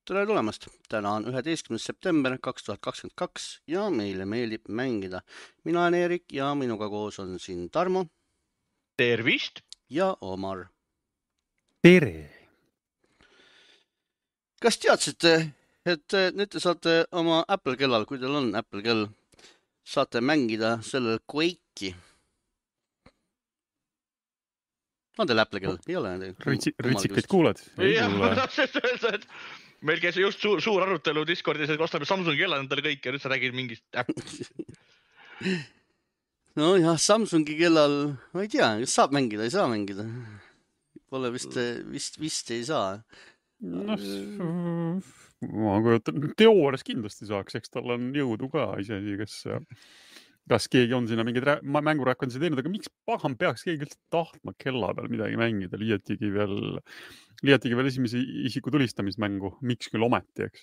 Tere tulemast! Täna on 11. september 2022 ja meile meeldib mängida. Mina olen Erik ja minuga koos on siin Tarmo Tervist! ja Omar. Tere! Kas teadsite, et nüüd te saate oma Apple kellal, kui teil on Apple kell, saate mängida sellel Quake'i? On teil Apple kell? Ei ole? Rõitsikaid kuuled? Jah, ma tahtsin öelda, et meil käis just suur arutelu Discordis, et ostame Samsungi kellad endale kõik ja nüüd sa räägid mingist äppist. No jah, Samsungi kellal, ma ei tea, kas saab mängida, ei saa mängida. Pole vist ei saa. Ma kujutan, teoorias kindlasti saaks, eks tal on jõudu ka isegi, kas keegi on sinna mingid mängurakendusi teinud, aga miks pahan peaks keegi üldse tahtma kella peal midagi mängida, liiatigi veel esimese isiku tulistamismängu, miks küll ometi, eks.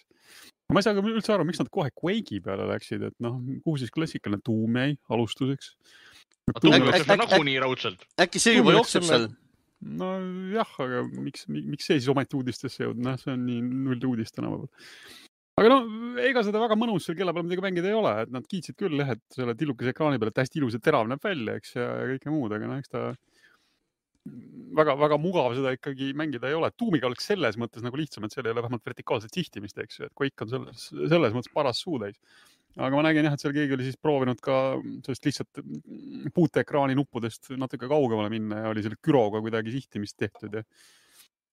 Ma ei saa ka üldse aru, miks nad kohe Quake'i peale läksid, et kuhu siis klassikaline Doom jäi alustuseks. Doom jookseb nagunii raudselt. Äkki see juba jookseb seal? No jah, aga miks see siis ometi uudistesse jõudnud? See on nii null uudist tänapäeval. Aga ega seda väga mõnus seal kella peal midagi mängida ei ole, et nad kiitsid küll, et selle tillukese ekraani peal, et hästi ilus ja terav näeb välja, eks, ja kõike muud, aga eks ta väga mugav seda ikkagi mängida ei ole. Doomiga oleks selles mõttes nagu lihtsam, et seal ei ole vähemalt vertikaalset sihtimist, eks, et Quake on selles mõttes paras suutäis. Aga ma nägin jah, et seal keegi oli siis proovinud ka sellest lihtsalt puuteekraani nuppudest natuke kaugemale minna ja oli selle küroga kuidagi sihtimist tehtud ja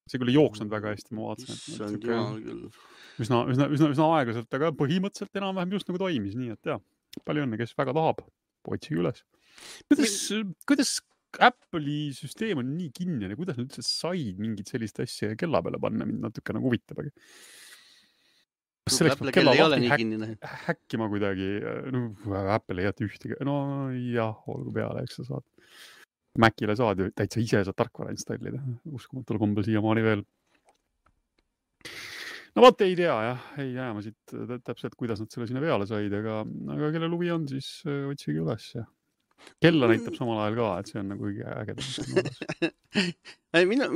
see küll ei jooksnud väga hästi, ma vaatasin. Üsna aeglaselt, aga põhimõtteliselt enam-vähem just nagu toimis, nii et jah, palju õnne, kes väga tahab, otsige üles. Kuidas Apple'i süsteem on nii kinnine, kuidas nad üldse said mingit sellist asja kella peale panna, mind natuke nagu huvitab, aga kas selleks peab kella lahti häkkima kuidagi, Apple ei jäta ühtegi, no jah, olgu peale, eks sa saad. Macile saad ju täitsa ise saad tarkvara installida, uskumatul kombel siiamaani veel. No vaat ei tea, jah, ei jää ma siit täpselt, kuidas nad selle sinna peale said, aga kellel huvi on, siis otsige üles. Kella näitab samal ajal ka, et see on nagu ägedam.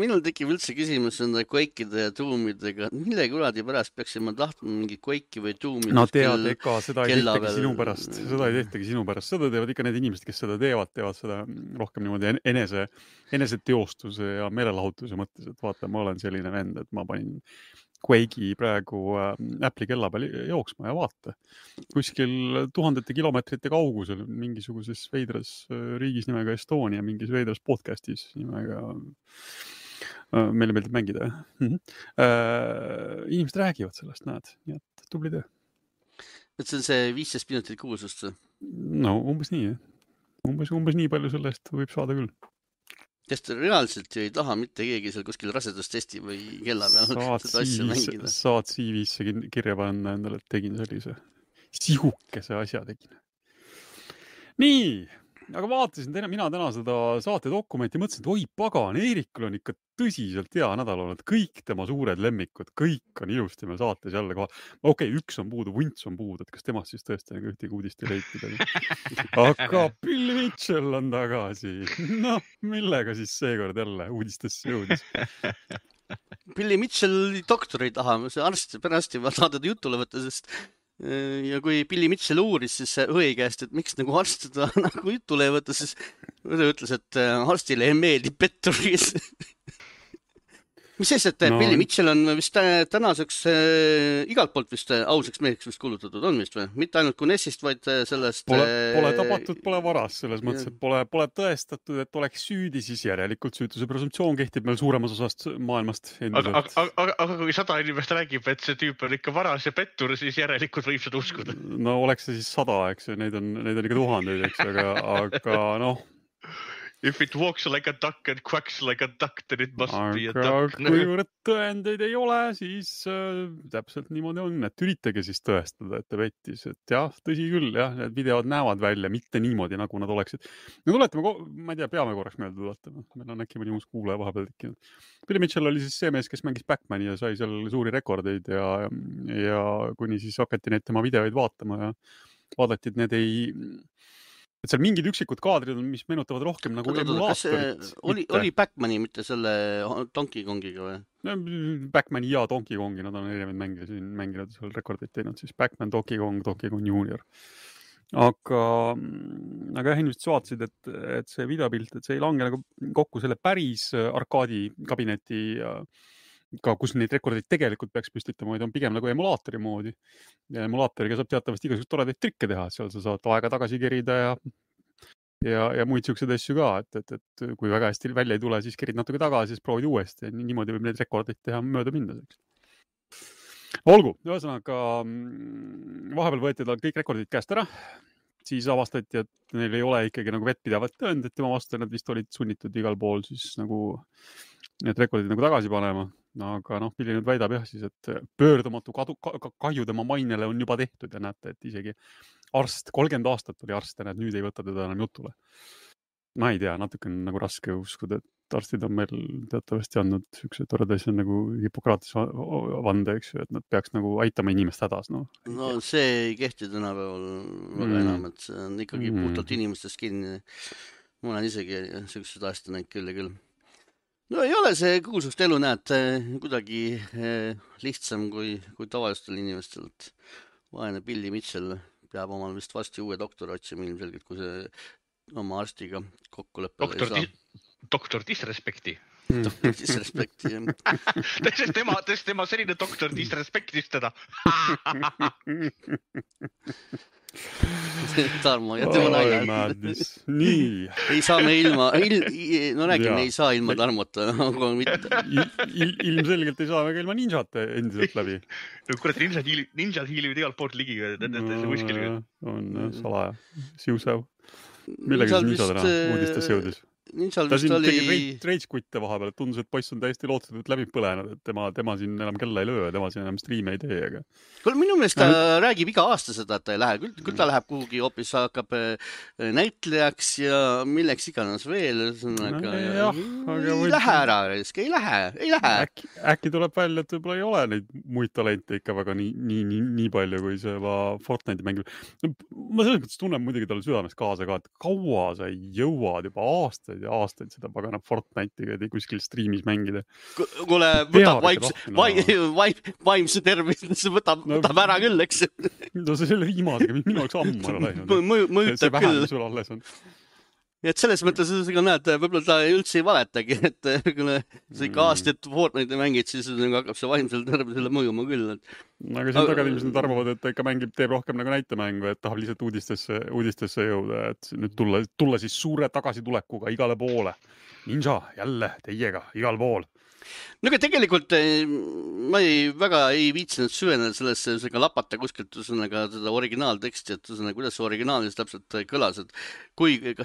Minul tekib üldse küsimus enda Quake'ide ja Doomidega. Mille kuradi pärast peaksin ma tahtma mingi Quake'i või Doomid? No tead, ega seda ei tehtagi sinu pärast. Seda ei tehtagi sinu pärast. Seda teevad ikka need inimesed, kes seda teevad seda rohkem niimoodi enese teostuse ja meelelahutuse mõttes, et vaata, ma olen selline vend, et ma panin Quake'i praegu Apple'i kella peal jooksma ja vaata. Kuskil tuhandete kilomeetrite kaugusel mingisuguses veidras riigis nimega Estonia, mingis veidras podcastis nimega meile meeldib mängida. Inimesed räägivad sellest, näed, nii et tubli töö. Et see on see 15 minutit kuulsust? No umbes nii, jah. Umbes nii palju sellest võib saada küll. Sest reaalselt ju ei taha mitte keegi seal kuskil rasedustesti või kella peal seda asja mängida. Saad CV-sse kirja panna endale, et tegin sellise sihukese asja tegin. Nii, aga vaatasin mina täna seda saate dokumenti, mõtlesin, et oi pagan, Eerikul on ikka tõsiselt hea nädal olnud. Kõik tema suured lemmikud, kõik on ilusti meil saates jälle kohal. Okei, üks on puudu, Vunts on puudu, et kas temast siis tõesti nagu ühtegi uudist ei leitnud. Aga Bill Mitchell on tagasi. No, millega siis seekord jälle uudistesse jõudis? Billy Mitchell doktor ei taha, see pärast juba saada jutule võtta, sest ja kui Billy Mitchell uuris siis õe käest, et miks nagu arst seda nagu jutule ei võtta, siis õe ütles, et arstile ei meeldi petturis. Mis siis, et Billy Mitchell on vist tänaseks igalt poolt vist ausaks meheks vist kuulutatud on vist või? Mitte ainult Kunessist, vaid sellest... Pole tapatud, pole varas selles mõttes, et pole tõestatud, et oleks süüdi, siis järelikult süütuse presumptsioon kehtib meil suuremas osast maailmast. Aga kui 100 inimest räägib, et see tüüp on ikka varas ja pettur, siis järelikult võib seda uskuda. No oleks see siis 100, eks, neid on ikka tuhandeid, eks, aga noh. If it walks like a duck and quacks like a duck, then it must be a duck. Kuivõrd tõendeid ei ole, siis täpselt niimoodi on, et üritage siis tõestada, et ta pettis. Et jah, tõsi küll, jah, need videod näevad välja, mitte niimoodi, nagu nad oleksid. No tuletame, ma ei tea, peame korraks meelde tuletama. Meil on äkki mõni uus kuulaja vahepeal tekkinud. Billy Mitchell oli siis see mees, kes mängis Backmani ja sai seal suuri rekordeid ja kuni siis hakati neid tema videoid vaatama ja vaadati, et need ei et seal mingid üksikud kaadrid on, mis meenutavad rohkem nagu emulaatorit. Oli Backmani, mitte selle Donkey Kongiga või? Backmani ja Donkey Kongi, nad on erinevaid mänge siin mänginud, seal rekordid teinud, siis Backman, Donkey Kong Junior. Aga jah, inimesed vaatasid, et see videopilt, et see ei lange nagu kokku selle päris arkaadi kabineti ka, kus neid rekordeid tegelikult peaks püstitama, vaid on pigem nagu emulaatori moodi. Ja emulaatoriga saab teatavasti igasugust toredaid trikke teha, seal sa saad aega tagasi kerida ja muid siukseid asju ka, et kui väga hästi välja ei tule, siis kerid natuke tagasi, siis proovid uuesti. Niimoodi võib neid rekordeid teha mööda minna. Olgu, ühesõnaga vahepeal võeti tal kõik rekordid käest ära, siis avastati, et neil ei ole ikkagi nagu vettpidavat tõendit tema vastu, nad vist olid sunnitud igal pool siis nagu need rekordid nagu tagasi panema. Aga Billy nüüd väidab jah siis, et pöördumatu kahju tema mainele on juba tehtud ja näete, et isegi arst, 30 aastat oli arst ja nüüd ei võta teda enam jutule. Ma ei tea, natuke on nagu raske uskuda, et arstid on meil teatavasti andnud üks toreda asja nagu Hippokratese vande, eks ju, et nad peaks nagu aitama inimest hädas. No see ei kehti tänapäeval väga enam, et see on ikkagi puhtalt inimestest kinni. Ma olen isegi sellised asjad näinud küll ja küll. No ei ole see kuulsust elu, näed, kuidagi lihtsam kui tavalistel inimestel. Vaene Billy Mitchell peab omal vist vasti uue doktori otsima ilmselgelt, kui see oma arstiga kokkuleppele ei saa. Doktor Disrespekti. Doktor Disrespekti, jah. tema selline doktor Disrespektis teda. Tarmo ja tema naljad. Nii. Ei saa me ilma, ei saa ilma Tarmota, aga mitte. Ilmselgelt ei saa me ka ilma ninjate endiselt läbi. No kurat, ninjad hiilivad igalt poolt ligi, kuskil. On salaja, siusev. Millega siis ninjadena uudistesse jõudis? Ta siin tegi reitskutte vahepeal, et tundus, et poiss on täiesti lootuselt läbi põlenud, et tema siin enam kella ei löö, tema siin enam striime ei tee. Aga... Minu meelest ta räägib iga aasta seda, et ta ei lähe. Küll ta läheb kuhugi hoopis, hakkab näitlejaks ja milleks iganes veel. Ei lähe ära, ei lähe. Äkki tuleb välja, et võib-olla ei ole neid muid talente ikka väga nii palju, kui see Fortnite'i mängib. Ma selles mõttes tunnen muidugi talle südames kaasa ka, et kaua sa jõuad juba aastaid seda pagana Fortnite'iga kuskil striimis mängida. Kuule, võtab vaimse tervise, võtab ära küll, eks? No see selle viimasega, minu oleks ammu ära läinud. Mõjutab küll. Sul alles on. Ja et selles mõttes sa näed, võib-olla ta üldse ei valetagi, et sa ikka aastat Fortnite'i mängid, siis hakkab see vaimsel tervisele mõjuma küll. Aga siin tagad inimesed arvavad, et ta ikka teeb rohkem nagu näitemängu, et tahab lihtsalt uudistesse jõuda, et nüüd tulla siis suure tagasitulekuga igale poole. Ninja, jälle teiega, igal pool. No aga tegelikult ma väga ei viitsinud süveneda sellesse lapata kuskilt seda originaalteksti, et kuidas see originaalis täpselt kõlas, et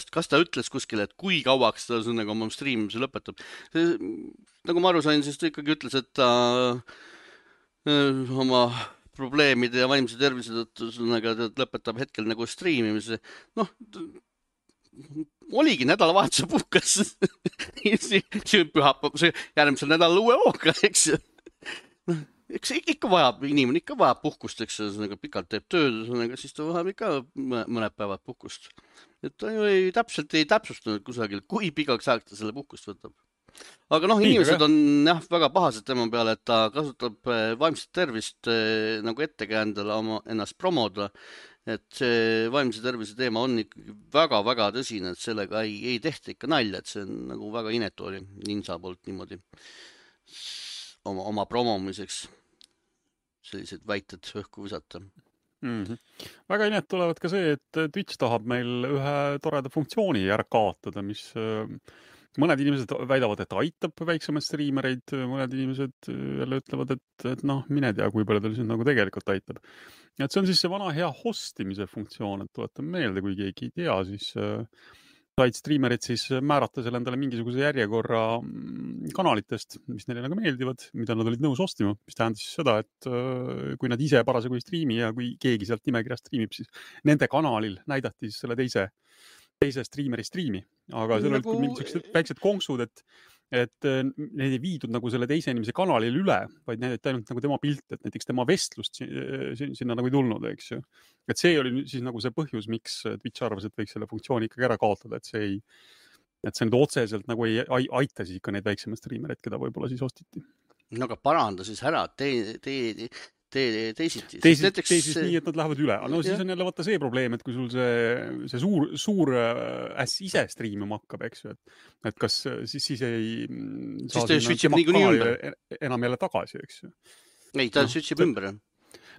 kas ta ütles kuskile, et kui kauaks ta oma streamimise lõpetab. Nagu ma aru sain, siis ta ikkagi ütles, et ta oma probleemide ja vaimse tervise tõttu lõpetab hetkel nagu streamimise. Oligi nädalavahetuse puhkas. Järgmisel nädalal uue hooga, eks. Eks inimene ikka vajab puhkust, eks. Pikalt teeb tööd, siis ta vajab ikka mõned päevad puhkust. Et ta ju ei täpsustanud kusagil, kui pikaks aeg ta selle puhkust võtab. Aga inimesed on väga pahased tema peale, et ta kasutab vaimset tervist nagu ettekäändele ennast promoda. Et see vaimse tervise teema on ikkagi väga-väga tõsine, et sellega ei tehta ikka nalja, et see on nagu väga inetu oli Ninja poolt niimoodi oma promomiseks sellised väited õhku visata. Väga inet tulevad ka see, et Twitch tahab meil ühe toreda funktsiooni ära kaotada, mis mõned inimesed väidavad, et aitab väiksemaid striimereid, mõned inimesed jälle ütlevad, et mine tea, kui palju tal siin nagu tegelikult aitab. Et see on siis see vana hea hostimise funktsioon, et tuletan meelde, kui keegi ei tea, siis said striimerid siis määrata selle endale mingisuguse järjekorra kanalitest, mis neile nagu meeldivad, mida nad olid nõus ostima, mis tähendas siis seda, et kui nad ise parasjagu ei striimi ja kui keegi sealt nimekirjast striimib, siis nende kanalil näidati siis selle teise striimeri striimi. Aga seal olid mingisugused väiksed konksud, et et need ei viidud nagu selle teise inimese kanalile üle, vaid näidati ainult nagu tema pilt, et näiteks tema vestlust sinna nagu ei tulnud, eks ju. Et see oli siis nagu see põhjus, miks Twitch arvas, et võiks selle funktsiooni ikkagi ära kaotada, et see nüüd otseselt nagu ei aita siis ikka neid väiksemaid striimereid, keda võib-olla siis ostiti. No aga paranda siis ära, teisiti. Teisist nii, et nad lähevad üle. No siis on jälle vaata see probleem, et kui sul see suur äss ise striimima hakkab, eks ju, et kas siis ei siis ta switchib niikuinii ümber. Enam jälle tagasi, eks ju. Ei, ta switchib ümber.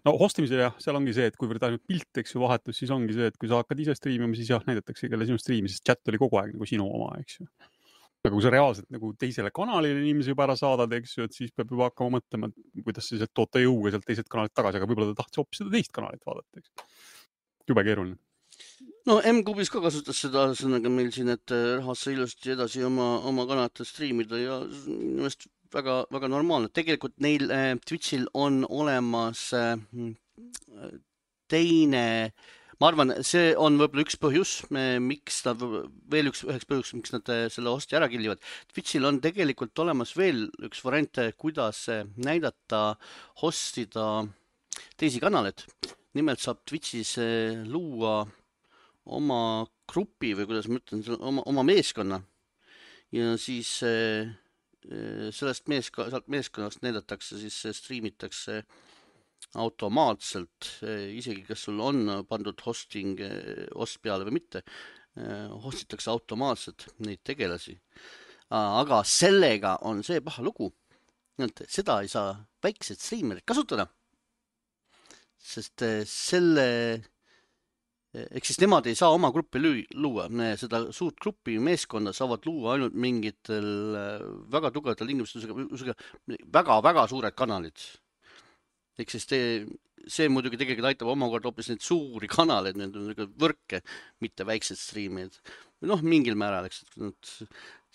No hostimisel jah, seal ongi see, et kuivõrd ainult pilt, eks ju, vahetus, siis ongi see, et kui sa hakkad ise striimima, siis jah, näidatakse kelle sinu striimi, sest chat oli kogu aeg nagu sinu oma, eks ju. Aga kui sa reaalselt nagu teisele kanalile inimesi juba ära saadad, eks ju, et siis peab juba hakkama mõtlema, kuidas siis toota jõuga sealt teiselt kanalit tagasi, aga võib-olla ta tahtis hoopis seda teist kanalit vaadata, eks. Jube keeruline. No M-Kubis ka kasutas seda sõnaga meil siin, et rahvas sai ilusti edasi oma kanalitel striimida ja nimest väga, väga normaalne. Tegelikult neil Twitchil on olemas teine, ma arvan, see on võib-olla üks põhjus, miks nad, veel üheks põhjus, miks nad selle hosti ära killivad. Twitchil on tegelikult olemas veel üks variant, kuidas näidata, hostida teisi kanaleid. Nimelt saab Twitchis luua oma grupi või kuidas ma ütlen, oma meeskonna ja siis sellest meeskonnast näidatakse, siis striimitakse automaatselt, isegi kas sul on pandud host peale või mitte, hostitakse automaatselt neid tegelasi. Aga sellega on see paha lugu, et seda ei saa väiksed striimerid kasutada, sest ehk siis nemad ei saa oma gruppi luua. Seda suurt gruppi meeskonda saavad luua ainult mingitel väga tugevatel tingimustusega väga-väga suured kanalid. Ehk siis see muidugi tegelikult aitab omakorda hoopis neid suuri kanaleid, need võrke, mitte väiksed striimid. Noh, mingil määral, eks, et nad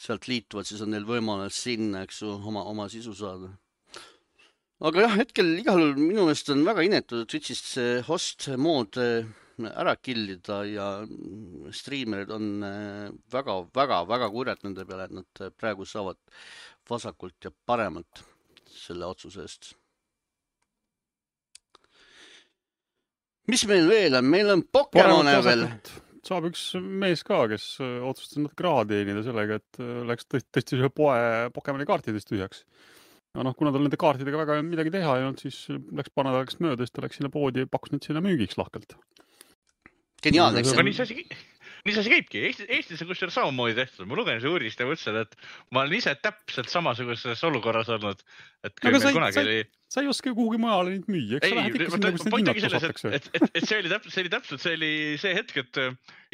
sealt liituvad, siis on neil võimalus sinna, eks, oma sisu saada. Aga jah, hetkel igal juhul minu meelest on väga inetud Twitchist host mood ära killida ja striimerid on väga kurjad nende peale, et nad praegu saavad vasakult ja paremalt selle otsuse eest. Mis meil veel on? Meil on Pokemone veel. Saab üks mees ka, kes otsustas natuke raha teenida sellega, et läks tõesti ühe poe Pokemoni kaartidest tühjaks. Ja kuna tal nende kaartidega väga midagi teha ei olnud, siis läks paar nädalaks mööda, siis ta läks sinna poodi ja pakkus neid sinna müügiks lahkelt. Geniaalne, eks see? Nii see käibki. Eestis on kusjuures samamoodi tehtud. Ma lugesin see uurist ja mõtlesin, et ma olen ise täpselt samasuguses olukorras olnud. Et kui aga meil kunagi oli... Sa ei oska ju kuhugi mujale neid müüa. Eks sa lähed ikka sinna, kus need hinnad tusatakse. See oli see hetk, et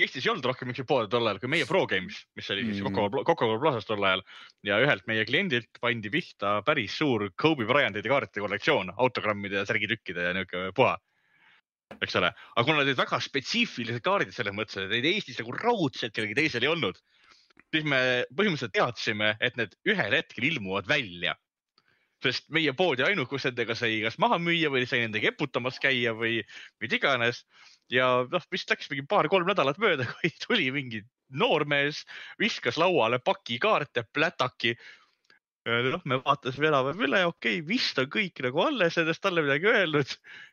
Eestis ei olnud rohkem üks pood tol ajal kui meie Pro Games, mis oli siis Coca-Cola Plazas tol ajal. Ja ühelt meie kliendilt pandi pihta päris suur Kobe Bryantide kaartide kollektsioon, autogrammide ja särgitükkide ja niisugune puha. Eks ole. Aga kuna need väga spetsiifilised kaardid selles mõttes, et neid Eestis nagu raudselt kellegi teisel ei olnud, siis me põhimõtteliselt teadsime, et need ühel hetkel ilmuvad välja. Sest meie poodi ainukus nendega sai kas maha müüa või sai nendega eputamas käia või iganes. Ja vist läks mingi 2-3 nädalat mööda, kui tuli mingi noormees, viskas lauale paki kaarte, plätaki. Me vaatasime enam üle, okei, vist on kõik nagu alles, endast talle midagi öelnud.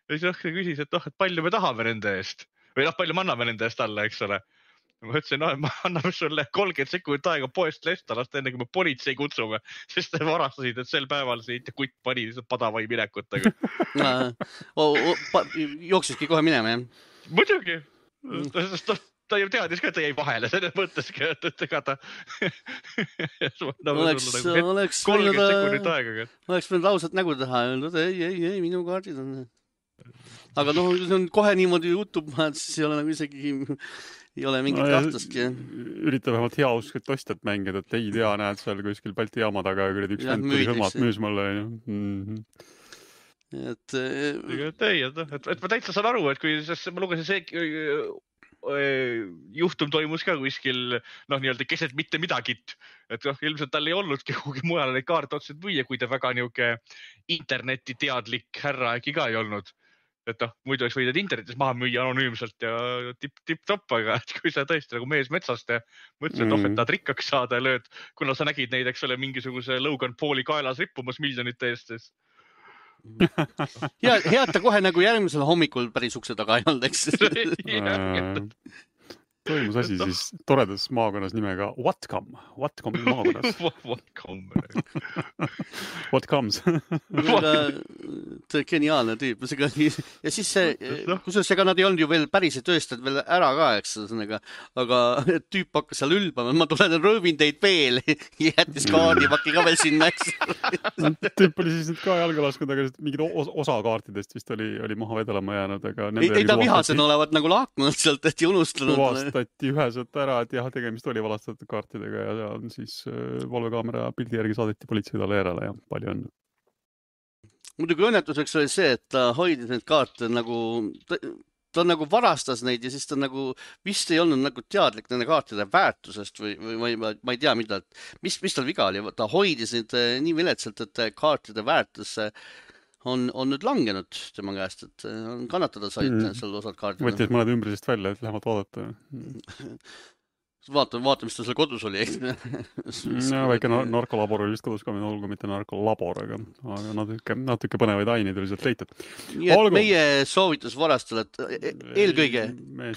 Ja siis küsis, et palju me tahame nende eest. Või palju me anname nende eest alla, eks ole. Ma ütlesin, ma anname sulle 30 sekundit aega poest lestalast, enne kui me politsei kutsume, sest te varastasid, et sel päeval see kutt pani lihtsalt padavai minekutega. Jooksiski kohe minema, jah? Muidugi. Ta ju teadis ka, et ta jäi vahele selles mõtteski, et ega ta oleks 30 sekundit aega. Oleks võinud lausat nägu teha ja öelda, ei, minu kaardid on. Aga see on kohe niimoodi jutub, siis ei ole nagu isegi ei ole mingit kahtustki. Ürita vähemalt hea uskrit ostjat mängida, et ei tea, näed seal kuskil Balti jaama taga ja üks vend tuli sõmad müüs mulle. Et ma täitsa saan aru, et kui ma lugesin see juhtum toimus ka kuskil nii-öelda keset mitte midagit, et ilmselt tal ei olnudki kuhugi mujal neid kaarte otseselt müüa, kui ta väga niuke interneti teadlik härra äkki ka ei olnud. et muidu oleks võidud internetis maha müüa anonüümselt ja tipp-topp, aga kui sa tõesti nagu mees metsast ja mõtlesid, et tahad rikkaks saada ja lööd, kuna sa nägid neid, eks ole, mingisuguse Logan Pauli kaelas rippumas miljonite eest, siis ja head ta kohe nagu järgmisel hommikul päris ukse taga ei olnud, eks. Toimus asi siis toredas maakonnas nimega Whatcom maakonnas. What comes? Geniaalne tüüp. Ja siis see, kusjuures ega nad ei olnud ju veel päriselt tööstad veel ära ka, eks, aga tüüp hakkas seal ülbama, ma tulen röövin teid veel, jättis kaardipaki ka veel sinna, eks. Tüüp oli siis nüüd ka jalga lasknud, aga mingid osa kaartidest vist oli maha vedelema jäänud, aga ei ta vihasen olevat nagu lahkunud sealt, et ei unustanud. Tuvastati üheselt ära, et jah, tegemist oli valastatud kaartidega ja siis valvekaamera pildi järgi saadeti politsei talle järele ja palju õnne. Muidugi õnnetuseks oli see, et ta hoidis neid kaarte nagu, ta nagu varastas neid ja siis ta nagu vist ei olnud nagu teadlik nende kaartide väärtusest või ma ei tea, mis tal viga oli. Ta hoidis neid nii viletsalt, et kaartide väärtus on nüüd langenud tema käest, et on kannatada said seal osad kaardid. Võttis mõned ümbrisest välja, et lähevad vaadata. Vaata, mis ta seal kodus oli. No, väike narkolabor oli vist kodus ka, olgu mitte narkolabor, aga natuke põnevaid aineid oli sealt leitud. Nii et meie soovitus varastele, et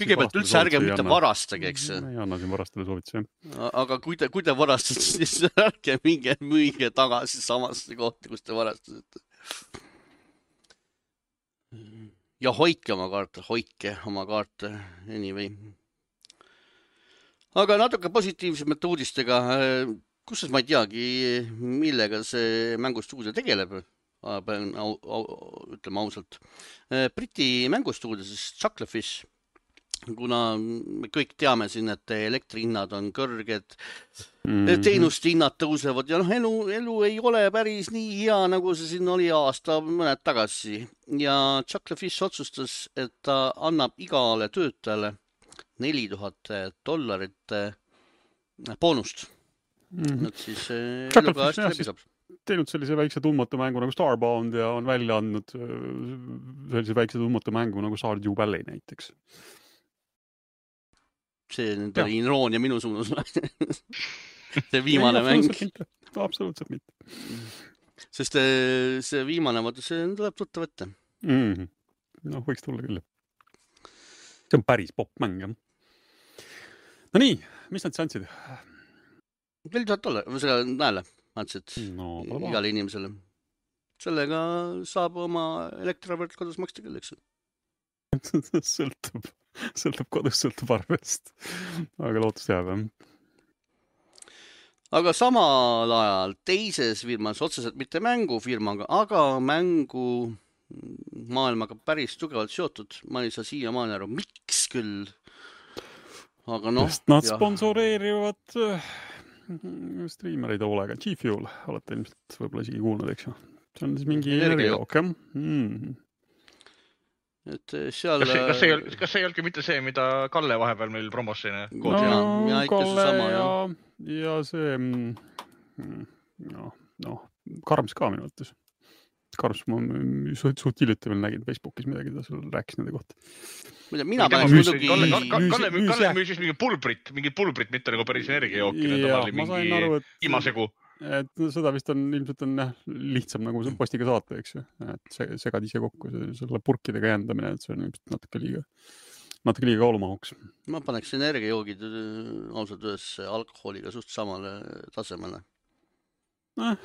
kõigepealt üldse ärge mitte varastage, eks. Ei anna siin varastele soovitusi. Aga kui te varastate, siis ärge minge müüge tagasi samasse kohti, kus te varastasite. Ja hoidke oma kaarte, anyway. Aga natuke positiivsemate uudistega, kusjuures ma ei teagi, millega see mängustuudio tegeleb, ütleme ausalt. Briti mängustuudio, siis Chucklefish, kuna me kõik teame siin, et elektrihinnad on kõrged, teenuste hinnad tõusevad ja elu ei ole päris nii hea, nagu see siin oli aasta mõned tagasi. Ja Chucklefish otsustas, et ta annab igale töötajale $4000 boonust. Nad siis eluga hästi läbi saab. Teinud sellise väikse tundmatu mängu nagu Starbound ja on välja andnud sellise väikse tundmatu mängu nagu Stardew Valley näiteks. See nüüd oli iroonia minu suunas. See viimane mäng. Absoluutselt mitte. Sest see viimane, see tuleb tuttav ette. No, võiks tulla küll. See on päris popmäng, jah. No nii, mis nad andsid? $4000, või selle näele andsid igale inimesele. Sellega saab oma elektriarvet kodus maksta küll, eks. Sõltub kodus, sõltub arvest. Aga lootust jääb, jah. Aga samal ajal teises firmas, otseselt mitte mängufirmaga, aga mängu maailmaga päris tugevalt seotud. Ma ei saa siiamaani aru, miks küll. Aga sest nad sponsoreerivad striimereid hoolega. G-Fuel olete ilmselt võib-olla isegi kuulnud, eks ju. See on siis mingi energiajook, jah. Et seal... Kas see ei olnudki mitte see, mida Kalle vahepeal meil promos siin? Kalle ja see Karms ka minu mõttes. Karms ma suht hiljuti veel nägin Facebookis midagi, ta sul rääkis nende kohta. Mina päris muidugi... Kalle müüsis mingi pulbrit, mitte nagu päris energiajooki. Ma sain aru, et imasegu. Et seda vist on ilmselt lihtsam nagu postiga saata, eks ju. Et segad ise kokku selle purkidega jändamine, et see on natuke liiga kaalumahuks. Ma paneks energiajoogid ausalt ühes alkoholiga suht samale tasemele.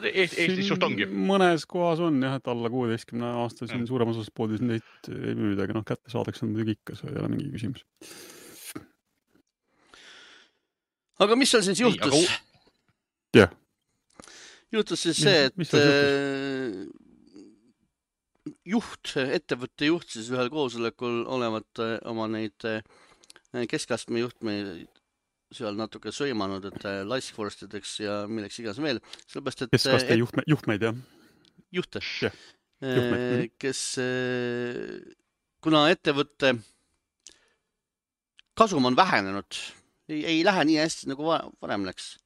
Eestis suht ongi. Mõnes kohas on jah, et alla 16 aasta siin suurem osas poodis neid ei müüda, aga kätte saadaks on muidugi ikka, see ei ole mingi küsimus. Aga mis seal siis juhtus? Jah. Juhtus siis see, et ettevõtte juht siis ühel koosolekul olevat oma neid keskastme juhtmeid seal natuke sõimanud, et laiskvorstideks ja milleks igas veel. Keskaste juhtmeid, jah? Juhte. Kes, kuna ettevõtte kasum on vähenenud, ei lähe nii hästi nagu varem läks.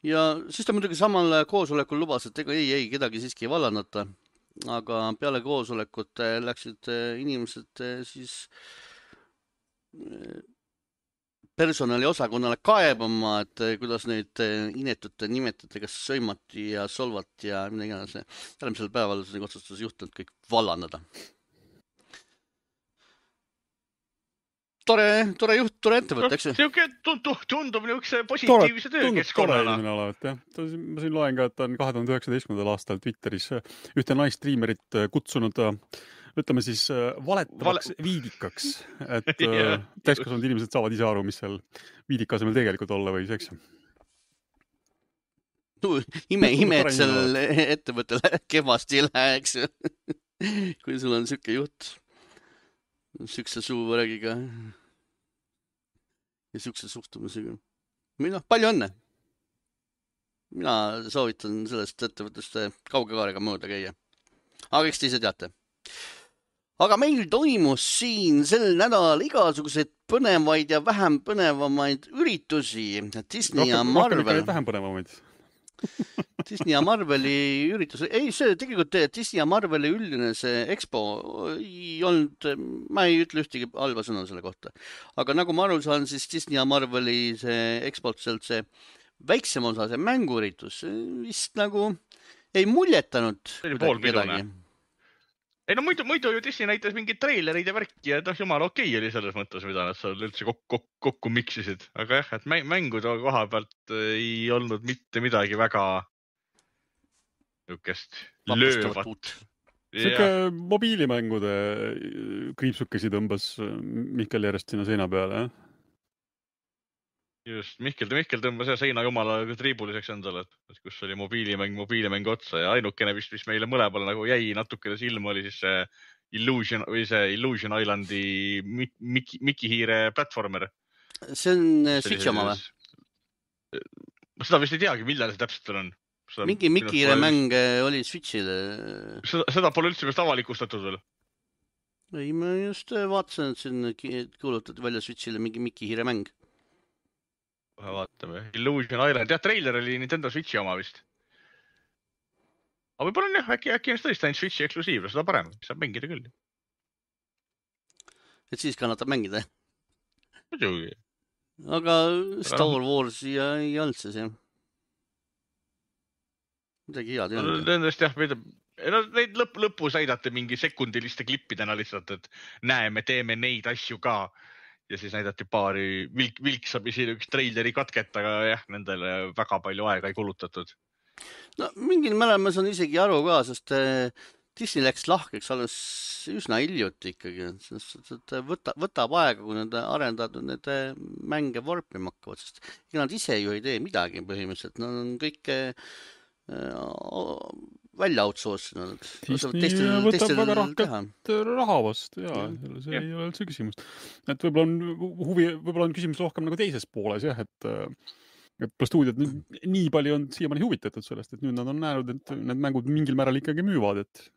Ja siis ta muidugi samal koosolekul lubas, et ei kedagi siiski ei vallandata. aga peale koosolekut läksid inimesed siis personaliosakonnale kaebama, et kuidas neid inetute nimetati, kas sõimati ja solvati ja midagi iganes. Järgmisel päeval otsustas juhtnud kõik vallandada. Tore juht, tore ettevõte, eks ju? Siuke tundub niisuguse positiivse töökeskkonnana. Ma siin loen ka, et on 2019. aastal Twitteris ühte naisstriimerit kutsunud, ütleme siis valetavaks viidikaks, et täiskasvanud inimesed saavad ise aru, mis seal viidika asemel tegelikult olla võis, eks ju. Ime, et seal ettevõttele kehvasti ei lähe, eks ju. Kui sul on siuke juht, siukse suuvõrgiga ja siukse suhtumisega. Palju õnne. Mina soovitan sellest ettevõttest kauge kaarega mööda käia. Aga eks te ise teate. Aga meil toimus siin sel nädal igasuguseid põnevaid ja vähem põnevamaid üritusi. Disney ja Marvel. Vähem põnevamaid. Disney ja Marveli üritus. Ei, see tegelikult Disney ja Marveli üldine see expo ei olnud, ma ei ütle ühtegi halba sõna selle kohta. Aga nagu ma aru saan, siis Disney ja Marveli see expolt sealt see väiksem osa, see mänguüritus vist nagu ei muljetanud kedagi. Ei no muidu ju Disney näitas mingid treilerid ja värki ja jumala okei oli selles mõttes, mida nad seal üldse kokku miksisid. Aga jah, et mängude koha pealt ei olnud mitte midagi väga niukest löövat. Siuke mobiilimängude kriipsukesi tõmbas Mihkel järjest sinna seina peale, jah? Just, Mihkel tõmbas seina jumala triibuliseks endale, et kus oli mobiilimäng otsa ja ainukene vist, mis meile mõlemale nagu jäi natukene silma, oli siis see Illusion Islandi Mickey Hiire platformer. See on Switchi oma või? Seda vist ei teagi, millal see täpselt on. Mingi Mickey Hiire mäng oli Switchile. Seda pole üldse vist avalikustatud veel. Ei, ma just vaatasin, et siin kuulutati välja Switchile mingi Mickey Hiire mäng. Vaatame. Illusion Island. Jah, trailer oli Nintendo Switchi oma vist. Aga võib-olla on jah, äkki on tõesti ainult Switchi eksklusiivne, seda parem. Saab mängida küll. Et siis kannatab mängida? Muidugi. Aga Star Wars ei olnud see see. Midagi head ei olnud. Nendest jah, neid lõpus näidati mingi sekundiliste klippidena lihtsalt, et näeme, teeme neid asju ka. Ja siis näidati paari vilksamisi üks treileri katket, aga jah, nendele väga palju aega ei kulutatud. No mingil määral ma saan isegi aru ka, sest Disney läks lahkeks alles üsna hiljuti ikkagi. Võtab aega, kui need arendajad need mänge vorpima hakkavad, sest nad ise ju ei tee midagi põhimõtteliselt. Nad on kõik välja outsourcinud. Disney võtab väga rohket raha vastu, see ei ole üldse küsimust. Et võib-olla on küsimus rohkem nagu teises pooles, jah, et stuudiod nii palju on siiamaani huvitatud sellest, et nüüd nad on näinud, et need mängud mingil määral ikkagi müüvad, et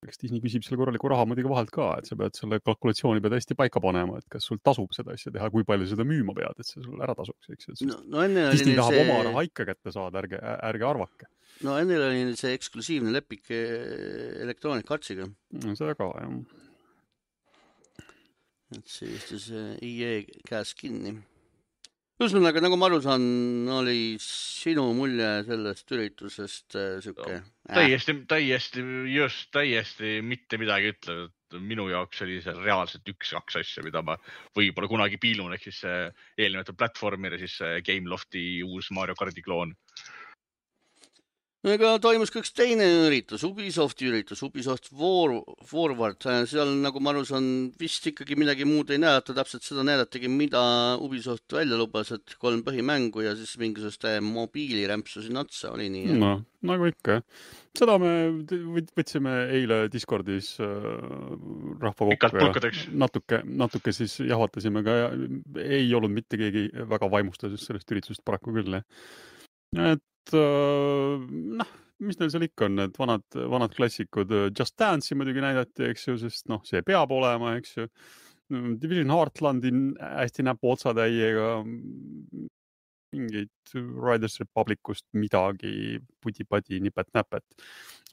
eks Disney küsib selle korraliku raha muidugi vahelt ka, et sa pead selle kalkulatsiooni pead hästi paika panema, et kas sul tasub seda asja teha, kui palju seda müüma pead, et see sul ära tasuks, eks. Disney tahab oma raha ikka kätte saada, ärge arvake. No ennel oli see eksklusiivne lepik Electronic Artsiga. Seda ka, jah. Et see istus EA käes kinni. Ühesõnaga, nagu ma aru saan, oli sinu mulje sellest üritusest siuke... Täiesti mitte midagi ütlev. Minu jaoks oli see reaalselt 1-2 asja, mida ma võib-olla kunagi piilun, ehk siis eelnimetatud platvormir ja siis Gamelofti uus Mario Karti kloon. Ega toimus ka üks teine üritus, Ubisofti üritus, Ubisoft Forward. Seal, nagu ma aru saan, vist ikkagi midagi muud ei näidata. Täpselt seda näidatagi, mida Ubisoft välja lubas, et 3 põhimängu ja siis mingisuguste mobiilirämpsu siin otsa oli nii. No, nagu ikka. Seda me võtsime eile Discordis rahva kokku ja natuke siis jahvatasime ka. Ei olnud mitte keegi väga vaimustatud sellest üritusest paraku küll. Et mis neil seal ikka on, need vanad klassikud Just Dance'i muidugi näidati, eks ju, sest see peab olema, eks ju. Division Heartlandi hästi näpu otsatäiega mingid Riders Republicust midagi, pudi-padi, nipet-näpet.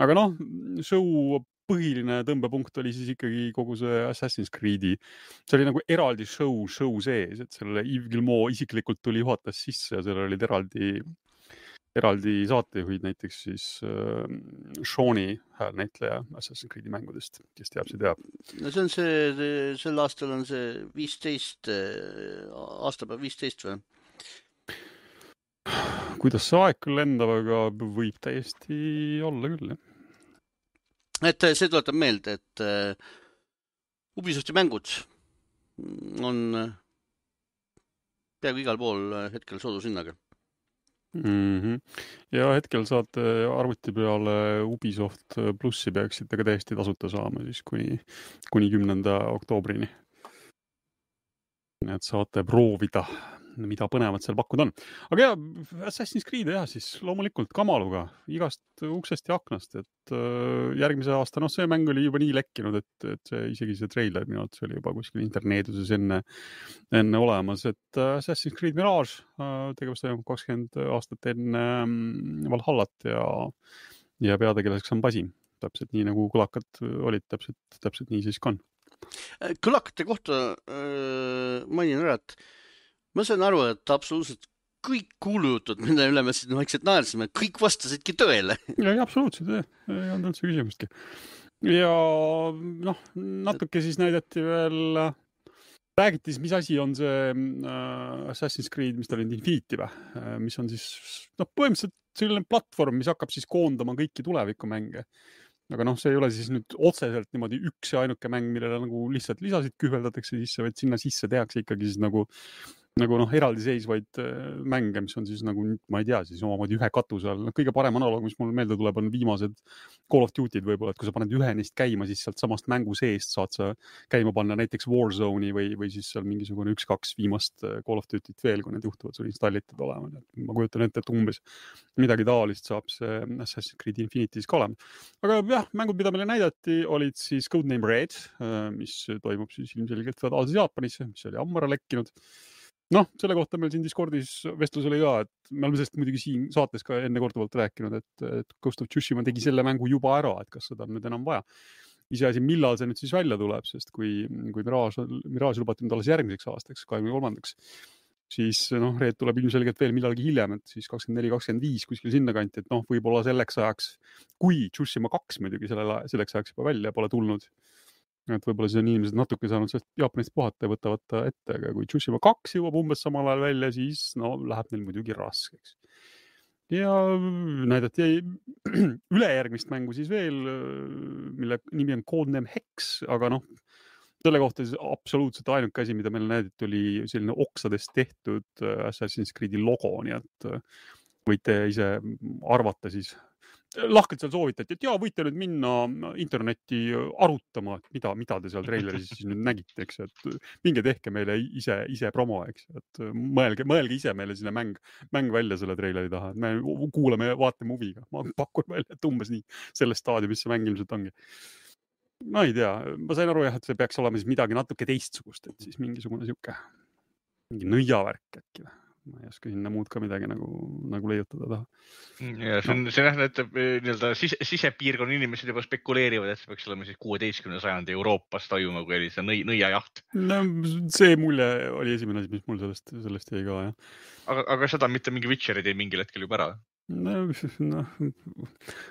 Aga noh, show põhiline tõmbepunkt oli siis ikkagi kogu see Assassin's Creed'i. See oli nagu eraldi show sees, et sellele Yves Guillemot isiklikult tuli juhatas sisse ja seal olid eraldi saatejuhid, näiteks siis Shawn'i häälnäitleja Assassin's Creed'i mängudest, kes teab, see teab. No see on sel aastal on see 15, aastapäev 15 või? Kuidas see aeg küll lendab, aga võib täiesti olla küll, jah. Et see tuletab meelde, et Ubisofti mängud on peaaegu igal pool hetkel soodushinnaga. Ja hetkel saate arvuti peale Ubisoft Plussi peaksite ka täiesti tasuta saama siis kuni 10. oktoobrini. Et saate proovida, mida põnevat seal pakkuda on. Aga ja, Assassin's Creed jah, siis loomulikult kamaluga igast uksest ja aknast, et järgmise aasta, see mäng oli juba nii lekkinud, et isegi see treiler minu arvates oli juba kuskil interneeduses enne olemas, et Assassin's Creed Mirage tegevus toimub 20 aastat enne Valhallat ja peategelaseks on Basim. Täpselt nii nagu kulakad olid, täpselt nii siis ka on. Kulakate kohta mainin ära, et ma sain aru, et absoluutselt kõik kuulujutud, mille üle me siin vaikselt naersime, kõik vastasidki tõele. Ja, absoluutselt, ei olnud üldse küsimustki. Ja natuke siis näidati veel, räägiti siis, mis asi on see Assassin's Creed, mis ta oli Infinity või, mis on siis põhimõtteliselt selline platvorm, mis hakkab siis koondama kõiki tulevikumänge. Aga see ei ole siis nüüd otseselt niimoodi üks ja ainuke mäng, millele nagu lihtsalt lisasid kühveldatakse sisse, vaid sinna sisse tehakse ikkagi siis nagu eraldiseisvaid mänge, mis on siis nagu, ma ei tea, siis omamoodi ühe katuse all. Kõige parem analoog, mis mul meelde tuleb, on viimased Call of Duty'd võib-olla, et kui sa paned ühe neist käima, siis sealt samast mängu seest saad sa käima panna näiteks Warzone'i või siis seal mingisugune 1-2 viimast Call of Duty't veel, kui need juhtuvad sul installitud olema. Ma kujutan ette, et umbes midagi taolist saab see Assassin's Creed Infinity's ka olema. Aga jah, mängud, mida meile näidati, olid siis Codename Red, mis toimub siis ilmselgelt feodaalses Jaapanis, mis oli ammara lekkinud. Selle kohta meil siin Discordis vestlus oli ka, et me oleme sellest muidugi siin saates ka enne korduvalt rääkinud, et Ghost of Tsushima tegi selle mängu juba ära, et kas seda on nüüd enam vaja. Iseasi, millal see nüüd siis välja tuleb, sest kui Mirage lubati nüüd alles järgmiseks aastaks, 23. siis Red tuleb ilmselgelt veel millalgi hiljem, et siis 24-25 kuskil sinna kanti, et võib-olla selleks ajaks, kui Tsushima 2 muidugi selleks ajaks juba välja pole tulnud, et võib-olla siis on inimesed natuke saanud sellest Jaapanist puhata ja võtavad ta ette, aga kui Tsushima 2 jõuab umbes samal ajal välja, siis läheb neil muidugi raskeks. Ja näidati ülejärgmist mängu siis veel, mille nimi on Codename Hex, aga selle kohta siis absoluutselt ainuke asi, mida meil näidati, oli selline oksadest tehtud Assassin's Creed'i logo, nii et võite ise arvata siis. Lahkelt seal soovitati, et võite nüüd minna internetti arutama, et mida te seal treileris siis nüüd nägite, eks, et minge tehke meile ise promo, eks, et mõelge ise meile sinna mäng välja selle treileri taha, et me kuulame ja vaatame huviga. Ma pakun välja, et umbes nii selles staadiumis see mäng ilmselt ongi. Ma ei tea, ma sain aru jah, et see peaks olema siis midagi natuke teistsugust, et siis mingisugune mingi nõiavärk äkki või. Ma ei oska sinna muud ka midagi nagu leiutada taha. Ja see nähdab, et sisepiirkonna inimesed juba spekuleerivad, et see peaks olema siis 16. sajandi Euroopas toimuma, kui oli see nõiajaht. See mulje oli esimene asi, mis mul sellest jäi ka, jah. Aga seda mitte mingi Witcher ei tee mingil hetkel juba ära?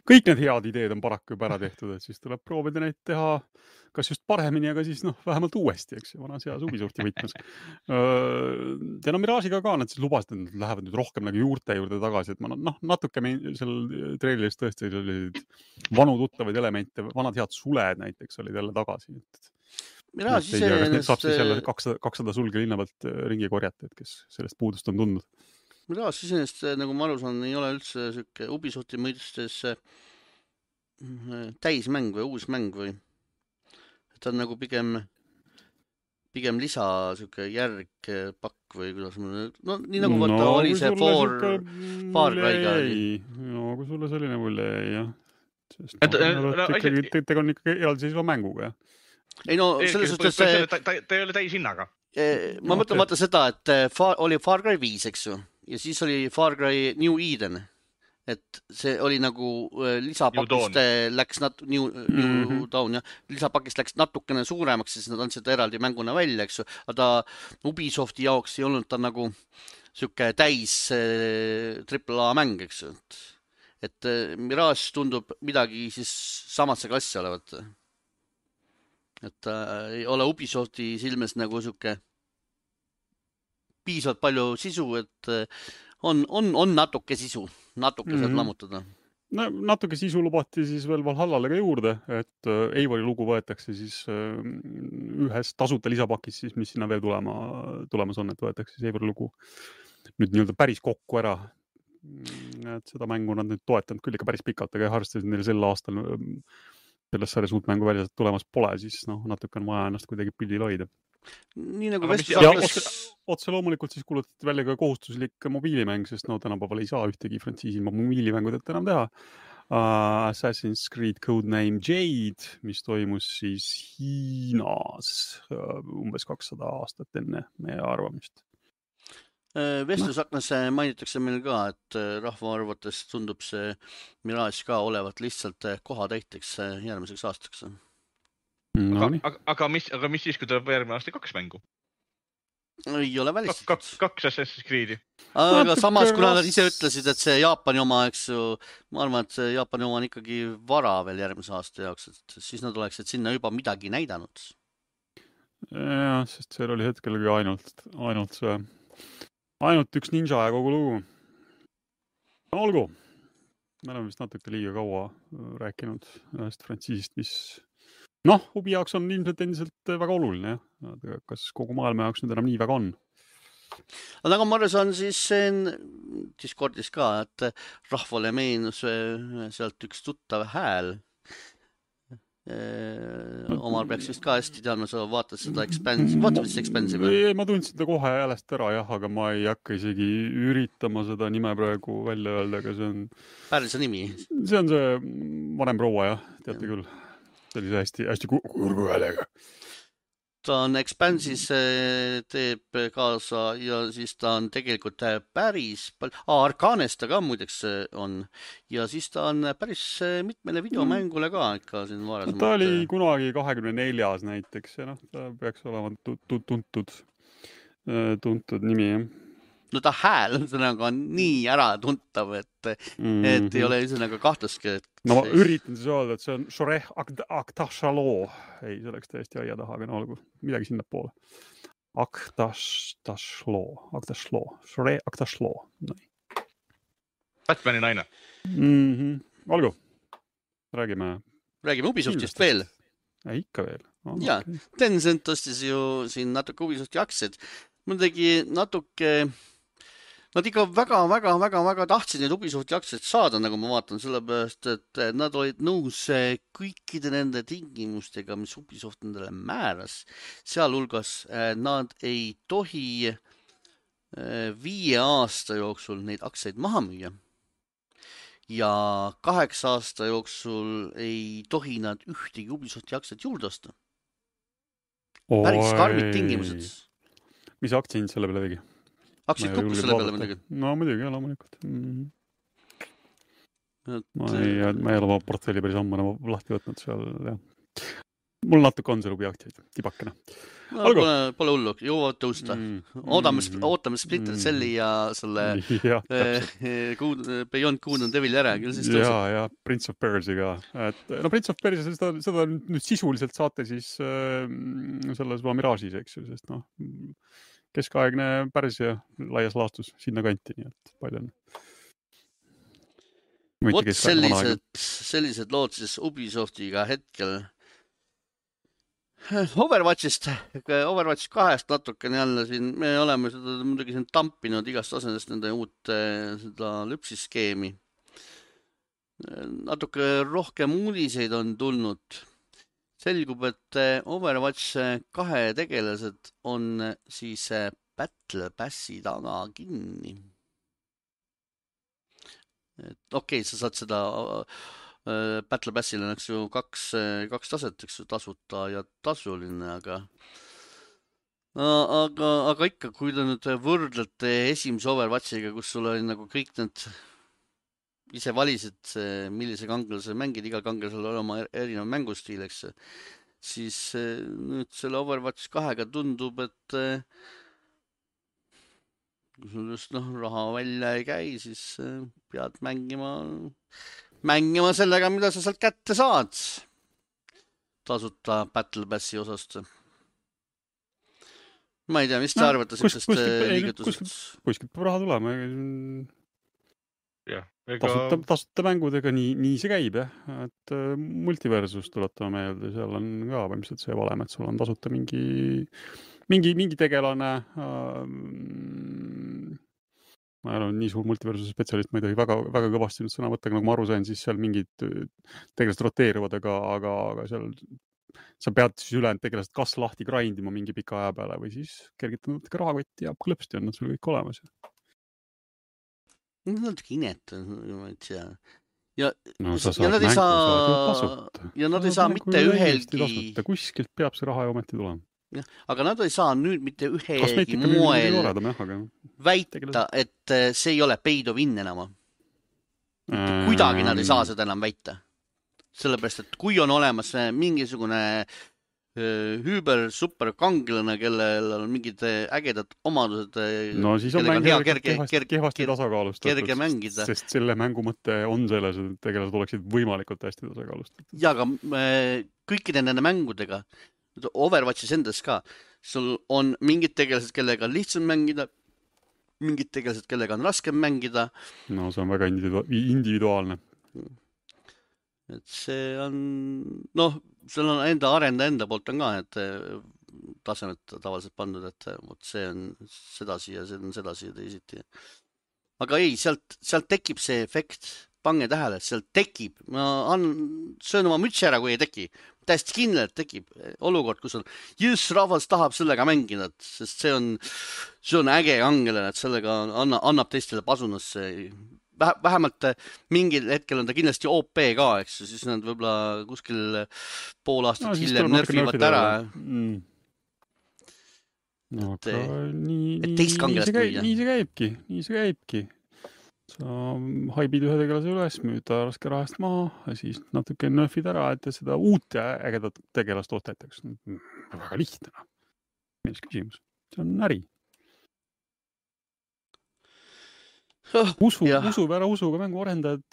Kõik need head ideed on paraku juba ära tehtud, et siis tuleb proovida neid teha kas just paremini, aga siis vähemalt uuesti, eks, vanas heas Ubisofti võtmes. Ja Mirage'iga ka nad siis lubasid, et nad lähevad nüüd rohkem nagu juurte juurde tagasi, et ma natuke seal treileris tõesti olid vanu tuttavaid elemente, vanad head suled näiteks olid jälle tagasi. Mirage saab siis jälle 200 sulge linna pealt ringi korjata, et kes sellest puudust on tundnud. Mirage iseenest, nagu ma aru saan, ei ole üldse selline Ubisofti mõistes täismäng või uus mäng või ta on nagu pigem lisa selline järgpakk või kuidas nii nagu vaata oli see Far Cry'ga oli. Kui sulle selline mulje jäi, jah. Tegu on ikkagi eraldiseisva mänguga, jah. Ei selles suhtes ta ei ole täishinnaga. Ma mõtlen vaata seda, et oli Far Cry 5, eks ju. ja siis oli Far Cry New Eden, et see oli nagu lisapakist läks New Dawn, jah, lisapakist läks natukene suuremaks, siis nad andsid eraldi mänguna välja, eks ju, aga Ubisofti jaoks ei olnud ta nagu siuke täis AAA mäng, eks ju, et Mirage tundub midagi siis samasse klassi olevat. Et ei ole Ubisofti silmes nagu siuke piisavalt palju sisu, et on natuke sisu, natuke saad lammutada. No, natuke sisu lubati siis veel Valhallale ka juurde, et Eivori lugu võetakse siis ühes tasuta lisapakis, siis, mis sinna veel tulemas on, et võetakse siis Eivori lugu nüüd nii-öelda päris kokku ära. Et seda mängu nad nüüd toetanud küll ikka päris pikalt, aga arvestasid neil sel aastal selles sarjas uut mängu välja tulemas pole, siis natuke on vaja ennast kuidagi pildil hoida. Nii nagu otse loomulikult siis kuulutati välja ka kohustuslik mobiilimäng, sest tänapäeval ei saa ühtegi frantsiisi mobiilimängudelt enam teha. Assassin's Creed Codename Jade, mis toimus siis Hiinas umbes 200 aastat enne meie arvamist. Vestlusaknas mainitakse meil ka, et rahva arvates tundub see Mirage ka olevat lihtsalt kohatäiteks järgmiseks aastaks. Aga mis siis, kui tuleb järgmine aasta 2 mängu? Ei ole välistatud. 2 Assassin's Creed'i. Aga samas, kuna nad ise ütlesid, et see Jaapani oma, eks ju, ma arvan, et see Jaapani oma on ikkagi vara veel järgmise aasta jaoks, et siis nad oleksid sinna juba midagi näidanud. Jah, sest seal oli hetkelgi ainult üks ninja ja kogu lugu. Olgu, me oleme vist natuke liiga kaua rääkinud ühest frantsiisist, mis hubi jaoks on ilmselt endiselt väga oluline. Ja? Kas kogu maailma jaoks nüüd enam nii väga on? Aga nagu ma aru saan, siis Discordis ka, et rahvale meenus sealt üks tuttav hääl. Omar peaks vist ka hästi teadma, sa vaatad seda Expansive. Ma tundsin seda kohe häälest ära, jah, aga ma ei hakka isegi üritama seda nime praegu välja öelda, aga see on... Päris nimi? See on see vanem proua, jah, teate küll. See oli hästi kurgu häälega. Ta on Expansis, teeb kaasa ja siis ta on tegelikult päris Arkanes ta ka muideks on ja siis ta on päris mitmele videomängule ka ikka siin varasemalt. Ta oli kunagi 24 näiteks ja ta peaks olema tuntud nimi. No ta hääl on nii ära tuntav, et ei ole üsõnaga kahtluski. No ma üritan siis öelda, et see on Shoreh Aktashloo. Ei, see oleks täiesti aia taha, aga olgu midagi sinna poole. Aktashloo. Shoreh Aktashloo. Batmani naine. Olgu. Räägime Ubisoftist veel. Ikka veel. Ja, Tencent ostis ju siin natuke Ubisofti aktsiad. Mul tegi natuke... Nad ikka väga tahtsid neid Ubisofti aktsiaid saada, nagu ma vaatan, sellepärast, et nad olid nõus kõikide nende tingimustega, mis Ubisoft nendele määras. Sealhulgas nad ei tohi 5 aasta jooksul neid aktsiaid maha müüa. Ja 8 aasta jooksul ei tohi nad ühtegi Ubisofti aktsiaid juurde osta. Päris karmid tingimused. Mis aktsiaid selle peale tegi? Aktsiaid kukkus selle peale midagi? No muidugi, jah, loomulikult. Ma ei ole oma portfelli päris ammu lahti võtnud seal, jah. Mul natuke on see lubi aktsiaid, tibakene. Pole hullu, jõuavad tõusta. Ootame Splinter Celli ja selle Beyond Good and Devil ära, küll siis tõuseb. Ja Prince of Persia ka. Prince of Persia, seda nüüd sisuliselt saate siis selles Mirage'is, eks ju, sest keskaegne Pärsia laias laastus sinna kanti, nii et palju on. Vot sellised lood siis Ubisoftiga hetkel. Overwatch 2 natukene jälle siin, me oleme seda muidugi siin tampinud igast asendest nende uut seda lüpsiskeemi. Natuke rohkem uudiseid on tulnud. Selgub, et Overwatch 2 tegelased on siis Battle Passi taga kinni. Okei, sa saad seda Battle Passile on ju kaks taset, eks ju, tasuta ja tasuline, aga aga ikka, kui te nüüd võrdlete esimese Overwatchiga, kus sul oli nagu kõik need, ise valisid, millise kangelase mängid, igal kangelasel oli oma erinev mängustiil, eks, siis nüüd selle Overwatch 2-ga tundub, et kui sul just raha välja ei käi, siis pead mängima sellega, mida sa sealt kätte saad tasuta Battle Passi osast. Ma ei tea, mis te arvate sellest liigutusest? Kuskilt peab raha tulema. Jah, tasuta mängudega nii see käib, jah. Et multiversus tuletame meelde, seal on ka võimsalt see valem, et sul on tasuta mingi tegelane. Ma ei ole nii suur multiversuse spetsialist, ma ei tohi väga, väga kõvasti nüüd sõna võtta, nagu ma aru sain, siis seal mingid tegelased roteeruvad, aga seal sa pead siis ülejäänud tegelased kas lahti grindima mingi pika aja peale või siis kergitama natuke rahakotti ja klõpsti on nad sul kõik olemas. Natuke inetu, ma ei tea. Ja nad ei saa mitte ühelgi... Kuskilt peab see raha ja ometi tulema. Aga nad ei saa nüüd mitte ühelgi moel väita, et see ei ole paid of in enam. Kuidagi nad ei saa seda enam väita. Sellepärast, et kui on olemas mingisugune hüüber super kangelane, kellel on mingid ägedad omadused, no siis on kehvasti tasakaalustatud, kerge mängida. Sest selle mängu mõte on selles, et tegelased oleksid võimalikult hästi tasakaalustatud. Ja, aga kõikide nende mängudega, Overwatchis endas ka, sul on mingid tegelased, kellega on lihtsam mängida, mingid tegelased, kellega on raskem mängida. No see on väga individuaalne. Et see on, seal on enda poolt on ka, et tasemed tavaliselt pandud, et see on sedasi ja see on sedasi ja teisiti. Aga ei, sealt tekib see efekt, pange tähele, sealt tekib, ma söön oma mütsi ära, kui ei teki. Täiesti kindlalt tekib olukord, kus on rahvas tahab sellega mängida, sest see on äge kangelane, et sellega annab teistele pasunasse. Vähemalt mingil hetkel on ta kindlasti OP ka, eks, siis nad võib-olla kuskil pool aastat hiljem nerfivad ära. Teist kangelast müüa. Nii see käibki. Sa haibid ühe tegelase üles, müüda raske rahast maha ja siis natuke nerfid ära, et seda uut ja ägedat tegelast ostetakse. Väga lihtne. Milles küsimus? See on äri. Usuga mängu arendajad,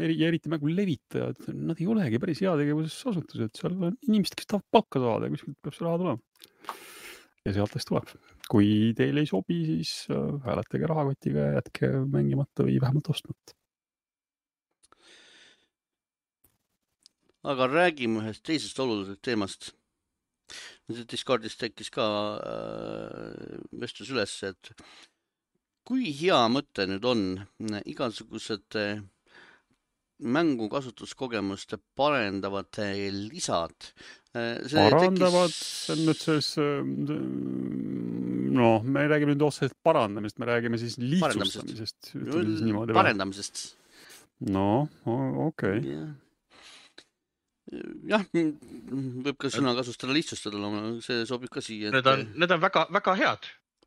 eriti mängu levitajad, nad ei olegi päris heategevuses asutused, seal on inimesed, kes tahavad palka saada ja kuskilt peab see raha tulema. Ja sealtest tuleb. Kui teil ei sobi, siis hääletage rahakotiga ja jätke mängimata või vähemalt ostmata. Aga räägime ühest teisest olulisest teemast. Discordis tekkis ka vestlus üles, et kui hea mõte nüüd on igasugused mängu kasutuskogemuste parendavad lisad? Parandavad, see on nüüd selles, me ei räägi nüüd otseselt parandamist, me räägime siis lihtsustamisest. Parendamisest. Okei. Jah, võib ka sõna kasustada lihtsustada, see sobib ka siia. Need on väga, väga head.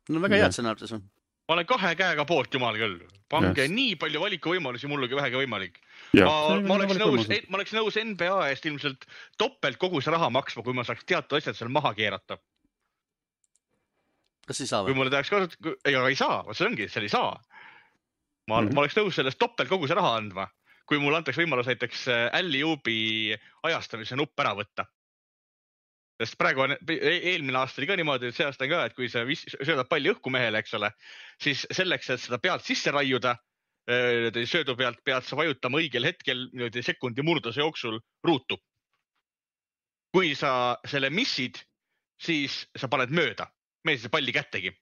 No väga head sõnartes on. Ma olen 2 käega poolt, jumal küll. Pange nii palju valikuvõimalusi mullugi vähegi võimalik. Ma oleks nõus NBA eest ilmselt toppelt kogu see raha maksma, kui ma saaks teatud asjad seal maha keerata. Kas ei saa või? Kui mulle tahaks kasutada, ei saa, see ongi, seal ei saa. Ma oleks nõus sellest toppelt kogu see raha andma, kui mulle antaks võimalus näiteks Alley-Oopi ajastamise nupp ära võtta. Sest praegu on, eelmine aasta oli ka niimoodi, et see aasta on ka, et kui sa söödad palli õhku mehele, eks ole, siis selleks, et seda pealt sisse raiuda, söödu pealt pead sa vajutama õigel hetkel sekundi murduse jooksul ruutu. Kui sa selle missid, siis sa paned mööda. Mees see palli kättegi.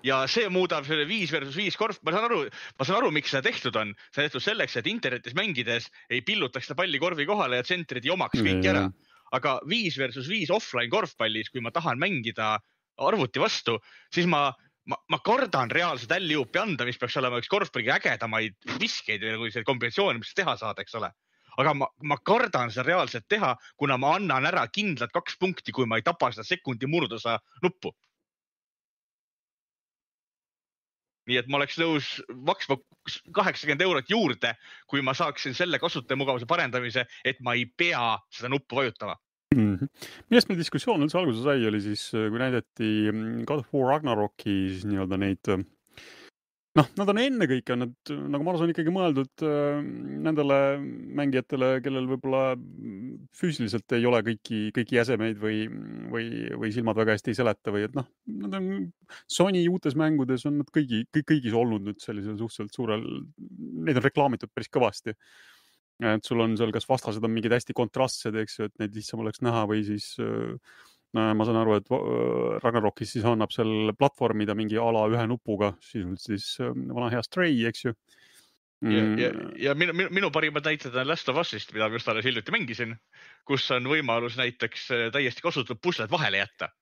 Ja see muudab selle 5 versus 5 korv. Ma saan aru, miks seda tehtud on. See on tehtud selleks, et internetis mängides ei pillutaks seda palli korvi kohale ja tsentrid ei omaks kõik ära. Aga 5 versus 5 offline korvpallis, kui ma tahan mängida arvuti vastu, siis ma kardan reaalselt Alley-Oopi anda, mis peaks olema üks korvpalliga ägedamaid viskeid või see kombinatsioon, mis teha saad, eks ole. aga ma kardan seda reaalselt teha, kuna ma annan ära kindlad 2 punkti, kui ma ei tapa seda sekundi murdosa nuppu. Nii et ma oleks nõus maksma 80 eurot juurde, kui ma saaksin selle kasutajamugavuse parendamise, et ma ei pea seda nuppu vajutama. Millest meil diskussioon üldse alguse sai, oli siis, kui näidati God of War Ragnaroki siis nii-öelda neid, nad on ennekõike, nagu ma arvan, ikkagi mõeldud nendele mängijatele, kellel võib-olla füüsiliselt ei ole kõiki jäsemeid või silmad väga hästi ei seleta või et nad on Sony uutes mängudes on nad kõigis olnud nüüd sellisel suhteliselt suurel, neid on reklaamitud päris kõvasti. Et sul on seal kas vastased on mingid hästi kontrastsed, eks ju, et neid lihtsam oleks näha või siis ma saan aru, et Ragnarokis siis annab seal platvormida mingi ala ühe nupuga, siis vana hea Stray, eks ju. Ja minu parimad näited on Last of Us'ist, mida ma just alles hiljuti mängisin, kus on võimalus näiteks täiesti kasutatud pusled vahele jätta.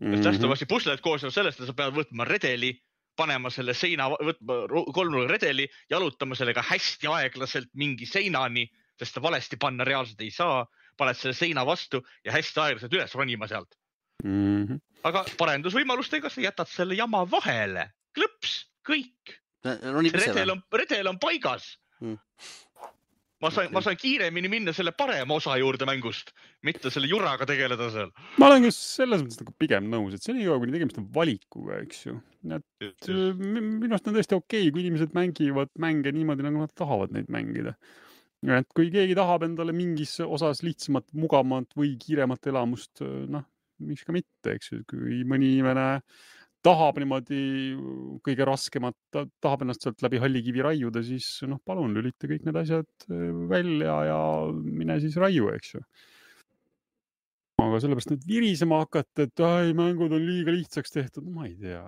Last of Us'i pusled koosnevad sellest, et sa pead võtma redeli, panema selle seina, võtma kolmnurga redeli, jalutama sellega hästi aeglaselt mingi seinani, sest ta valesti panna reaalselt ei saa, paned selle seina vastu ja hästi aeglaselt üles ronima sealt. Aga parendusvõimalustega sa jätad selle jama vahele. Klõps, kõik. Redel on paigas. Ma sain kiiremini minna selle parema osa juurde mängust, mitte selle juraga tegeleda seal. Ma olen just selles mõttes nagu pigem nõus, et see on iga, kui tegemist on valikuga, eks ju. Minu arust on tõesti okei, kui inimesed mängivad mänge niimoodi, nagu nad tahavad neid mängida. Et kui keegi tahab endale mingis osas lihtsamat, mugavat või kiiremat elamust, miks ka mitte, eks ju. Kui mõni inimene tahab niimoodi kõige raskemat, tahab ennast sealt läbi hallikivi raiuda, siis palun lülita kõik need asjad välja ja mine siis raiu, eks ju. Aga sellepärast nüüd virisema hakata, et mängud on liiga lihtsaks tehtud, ma ei tea.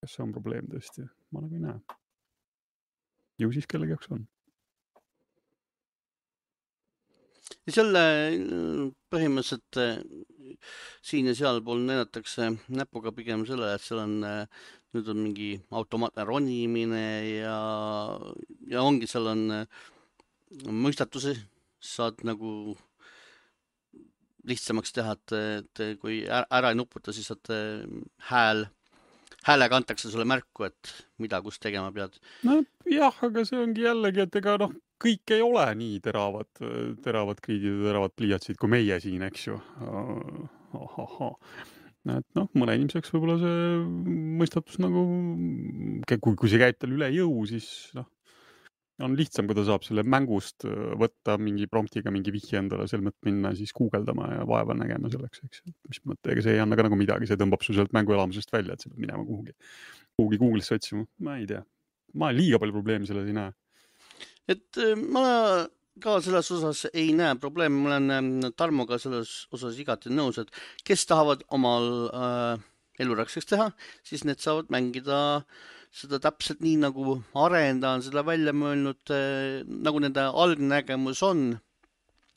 Kas see on probleem tõesti? Ma nagu ei näe. Ju siis kellegi jaoks on. Selle põhimõtteliselt siin ja seal pool näidatakse näpuga pigem selle, et seal on, nüüd on mingi automaatne ronimine ja ongi, seal on mõistatusi, saad nagu lihtsamaks teha, et kui ära ei nuputa, siis saad häälega antakse sulle märku, et mida, kus tegema pead. No jah, aga see ongi jällegi, et ega kõik ei ole nii teravad kriidid ja teravad pliiatsid kui meie siin, eks ju. Et mõne inimeseks võib-olla see mõistatus nagu, kui see käib tal üle jõu, siis on lihtsam, kui ta saab selle mängust võtta mingi promptiga mingi vihje endale selmet minna, siis guugeldama ja vaeva nägema selleks, eks. Mis mõttega, see ei anna ka nagu midagi, see tõmbab su sealt mänguelamusest välja, et sa pead minema kuhugi Google'isse otsima. Ma ei tea. Ma liiga palju probleemi selles ei näe. Et ma ka selles osas ei näe probleemi, ma olen Tarmoga selles osas igati nõus, et kes tahavad omal elurakseks teha, siis need saavad mängida seda täpselt nii, nagu arendaja on seda välja mõelnud, nagu nende algnägemus on.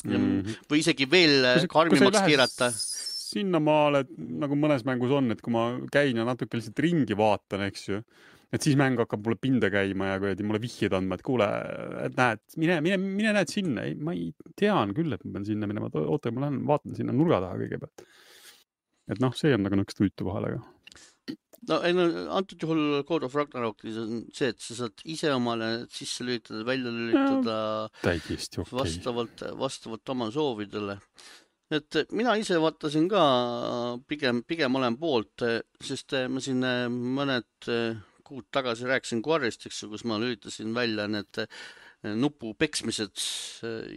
Või isegi veel karmimaks keerata. Sinnamaale, nagu mõnes mängus on, et kui ma käin ja natuke lihtsalt ringi vaatan, eks ju, et siis mäng hakkab mulle pinda käima ja kui mulle vihjed andma, et kuule, et näed, mine näed sinna. Ei, ma ei tean küll, et ma pean sinna minema. Oota, ma lähen vaatan sinna nurga taha kõigepealt. Et see on nagu nõkst uitu vahele. Antud juhul Code of Ragnarokis on see, et sa saad ise omale sisse lülitada, välja lülitada vastavalt oma soovidele. Et mina ise vaatasin ka pigem olen poolt, sest ma siin mõned kuud tagasi rääkisin Quarry'st, kus ma lülitasin välja need nupu peksmised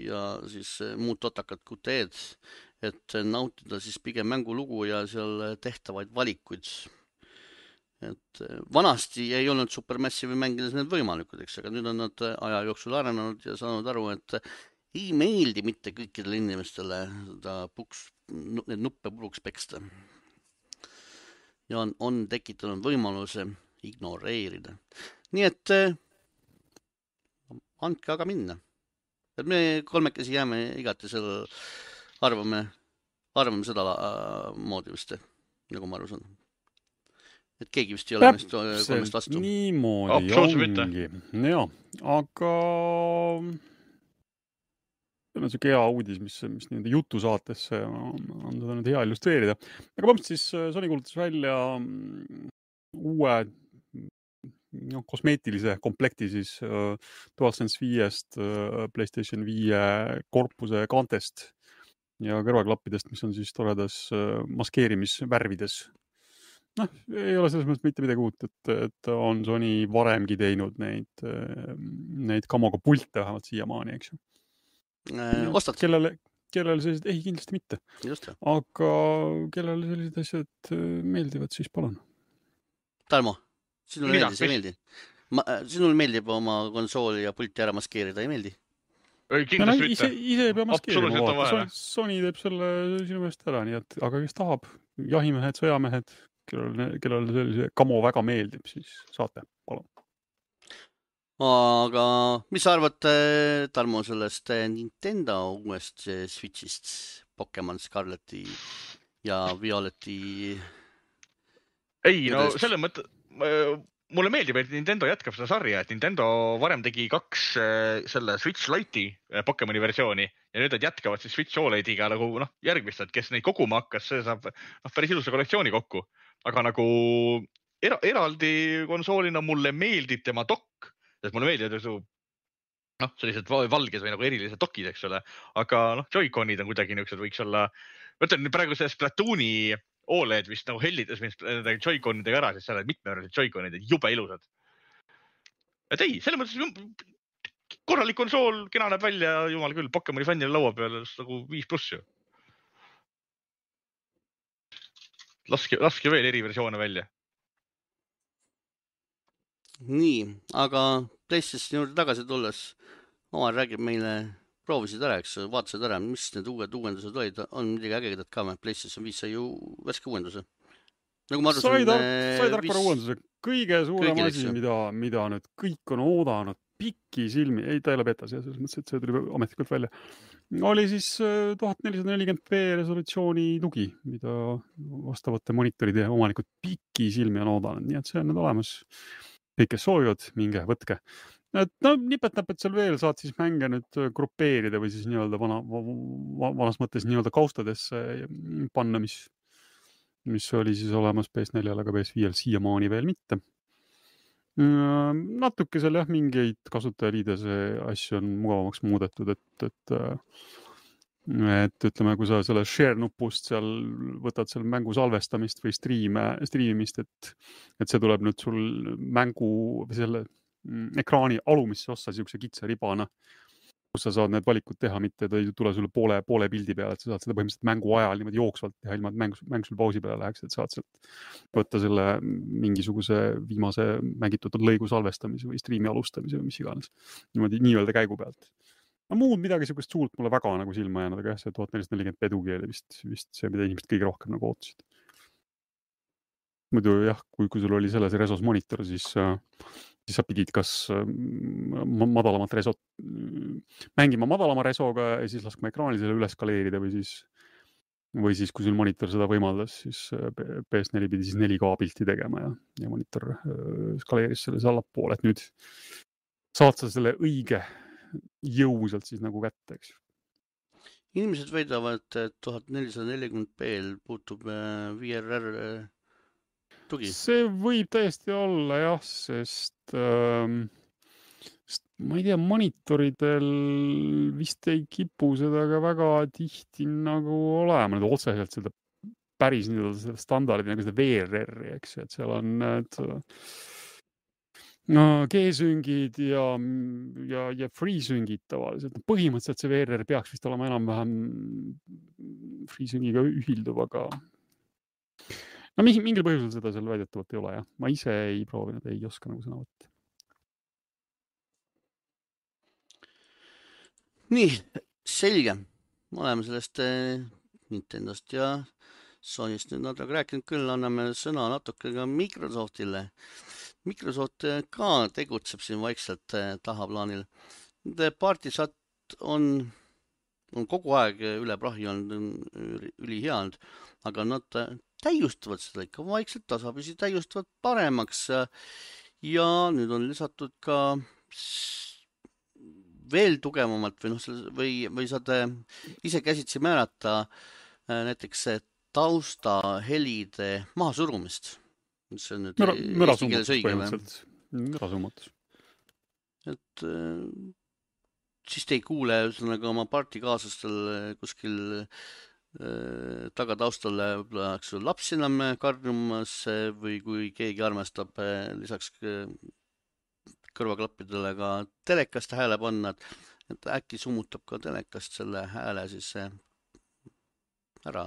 ja siis muud totakad QTE-d, et nautida siis pigem mängulugu ja seal tehtavaid valikuid. Et vanasti ei olnud Supermassive'i mängides need võimalikud, eks, aga nüüd on nad aja jooksul arenenud ja saanud aru, et ei meeldi mitte kõikidele inimestele need nuppe puruks peksta. Ja on tekitanud võimaluse ignoreerida. Nii et andke aga minna. Et me kolmekesi jääme igati selle arvame seda moodi vist, nagu ma aru saan. Et keegi vist ei ole meist kolmest vastu. Niimoodi ongi. Ja, aga on siuke hea uudis, mis nende jutusaatesse on seda nüüd hea illustreerida. Aga põhimõtteliselt siis Sony kuulutas välja uue kosmeetilise komplekti siis DualSense 5-st, PlayStation 5 korpuse kaantest ja kõrvaklappidest, mis on siis toredas maskeerimisvärvides. Ei ole selles mõttes mitte midagi uut, et on Sony varemgi teinud neid kamoga pilte vähemalt siiamaani, eks ju. Ostad? Kellele sellised, ei kindlasti mitte. Just. Aga kellele sellised asjad meeldivad, siis palun. Tarmo, sinule meeldis, ei meeldi? Sinul meeldib oma konsooli ja pulti ära maskeerida, ei meeldi? Kindlasti mitte. Ise ei pea maskeerima. Sony teeb selle sinu meelest ära, nii et, aga kes tahab, jahimehed, sõjamehed, kellele sellise kamo väga meeldib, siis saate, palun. Aga mis sa arvad, Tarmo, sellest Nintendo uuest Switchist, Pokemon Scarleti ja Violeti? Ei, no selle mõtte, mulle meeldib, et Nintendo jätkab seda sarja, et Nintendo varem tegi 2 selle Switch Lite'i Pokemoni versiooni ja nüüd nad jätkavad siis Switch OLED'iga nagu järgmist, et kes neid koguma hakkas, see saab päris ilusa kollektsiooni kokku. Aga nagu eraldi konsoolina mulle meeldib tema dokk, sest mulle meeldivad sellised valges või nagu erilised dokid, eks ole. Aga Joy-Conid on kuidagi niisugused, võiks olla, mõtlen praegu see Splatooni OLED vist nagu hellitas Joy-Conidega ära, sest seal olid mitmevärvised Joy-Conid, jube ilusad. Et ei, selle mõttes korralik konsool, kena näeb välja, jumal küll, Pokemoni fännile laua peal nagu 5+ ju. Laske veel eriversioone välja. Nii, aga PlayStation juurde tagasi tulles, Omar räägib meile, proovisid ära, eks, vaatasid ära, mis need uued uuendused olid, on midagi ägedat ka, PlayStation 5 sai ju värske uuenduse. Nagu ma arvasin, sai tarkvara uuenduse, kõige suurem asi, mida nüüd kõik on oodanud pikki silmi, ei, ta ei ole betas, selles mõttes, et see tuli ametlikult välja, oli siis 1440p resolutsiooni tugi, mida vastavate monitoride omanikud pikki silmi on oodanud, nii et see on nüüd olemas. Kõik, kes soovivad, minge, võtke. Nipet-näpet seal veel saad siis mänge nüüd grupeerida või siis nii-öelda vanas mõttes nii-öelda kaustadesse panna, mis oli siis olemas PS4-l, aga PS5-l siiamaani veel mitte. Natuke seal mingeid kasutajaliidese asju on mugavamaks muudetud, et ütleme, kui sa selle share nupust seal võtad seal mängu salvestamist või striimimist, et see tuleb nüüd sul mängu või selle ekraani alumisse ossa siukse kitsa ribana, kus sa saad need valikud teha, mitte ta ei tule sulle poole pildi peale, et sa saad seda põhimõtteliselt mängu ajal niimoodi jooksvalt teha, ilma et mäng sul pausi peale läheks, et saad sealt võtta selle mingisuguse viimase mängitud lõigu salvestamise või striimi alustamise või mis iganes. Niimoodi nii-öelda käigu pealt. Muud midagi siukest suurt mulle väga nagu silma jäänud, aga jah, see 1440p tugi oli vist see, mida inimesed kõige rohkem nagu ootasid. Muidu jah, kui sul oli selles resos monitor, siis sa pidid kas madalamat resot mängima madalama resoga ja siis laskma ekraani selle üles skaleerida või siis kui sul monitor seda võimaldas, siis PS4 pidi siis 4K pilti tegema ja monitor skaleeris selles allapoole, et nüüd saad sa selle õige jõusalt siis nagu kätte, eks. Inimesed väidavad, et 1440p-l puutub VRR tugi. See võib täiesti olla jah, sest ma ei tea, monitoridel vist ei kipu seda ka väga tihti nagu olema, nüüd otseselt seda päris nii-öelda standardit nagu seda VRR-i, eks, et seal on G-süngid ja free-süngid tavaliselt. Põhimõtteliselt see VRR peaks vist olema enam-vähem free-süngiga ühilduv, aga mingil põhjusel seda seal väidetavalt ei ole, jah. Ma ise ei proovinud, ei oska nagu sõna võtta. Nii, selge. Me oleme sellest Nintendost ja Sonyst nüüd natuke rääkinud, küll anname sõna natuke ka Microsoftile. Microsoft ka tegutseb siin vaikselt tahaplaanil. Partisat on kogu aeg üle prahi olnud ülihea, aga nad täiustavad seda ikka vaikselt, tasapisi täiustavad paremaks. Ja nüüd on lisatud ka veel tugevamalt või saad ise käsitsi määrata näiteks taustahelide mahasurumist. See on nüüd eesti keeles õige või? Mürasummatus. Et siis te ei kuule oma partikaaslastel kuskil tagataustale laps enam karjumas või kui keegi armastab lisaks kõrvaklappidele ka telekast hääle panna, et äkki summutab ka telekast selle hääle siis ära.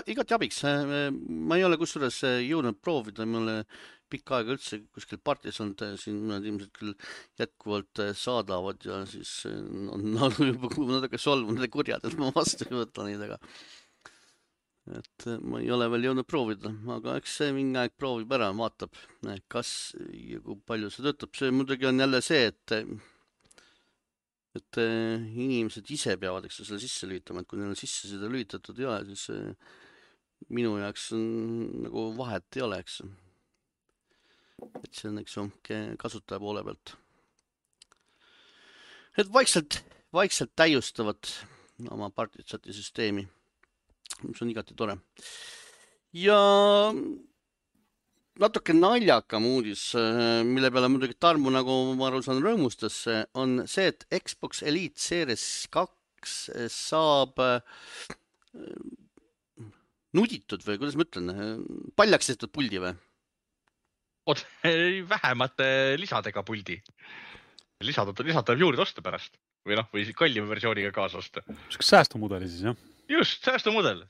Igati abiks. Ma ei ole kusjuures jõudnud proovida, ma olen pikka aega üldse kuskil partis olnud, siin nad ilmselt küll jätkuvalt saadavad ja siis on juba natuke solvunud ja kurjad, et ma vastu ei võta neid, aga et ma ei ole veel jõudnud proovida, aga eks see mingi aeg proovib ära, vaatab, kas ja kui palju see töötab. See muidugi on jälle see, et inimesed ise peavad selle sisse lüütama, et kui neil on sisse seda lüütatud ei ole, siis minu jaoks on nagu vahet ei ole, eks. Et see on kasutaja poole pealt. Et vaikselt täiustavad oma partisati süsteemi, mis on igati tore. Ja natuke naljakam uudis, mille peale muidugi Tarmo, nagu ma aru saan, rõõmustas, on see, et Xbox Elite Series 2 saab nuditud või kuidas ma ütlen, paljaks tehtud puldi või? Vähemate lisadega puldi. Lisada juurde osta pärast või kallima versiooniga kaasa osta. Kas säästumudeli siis, jah? Just, säästumudel.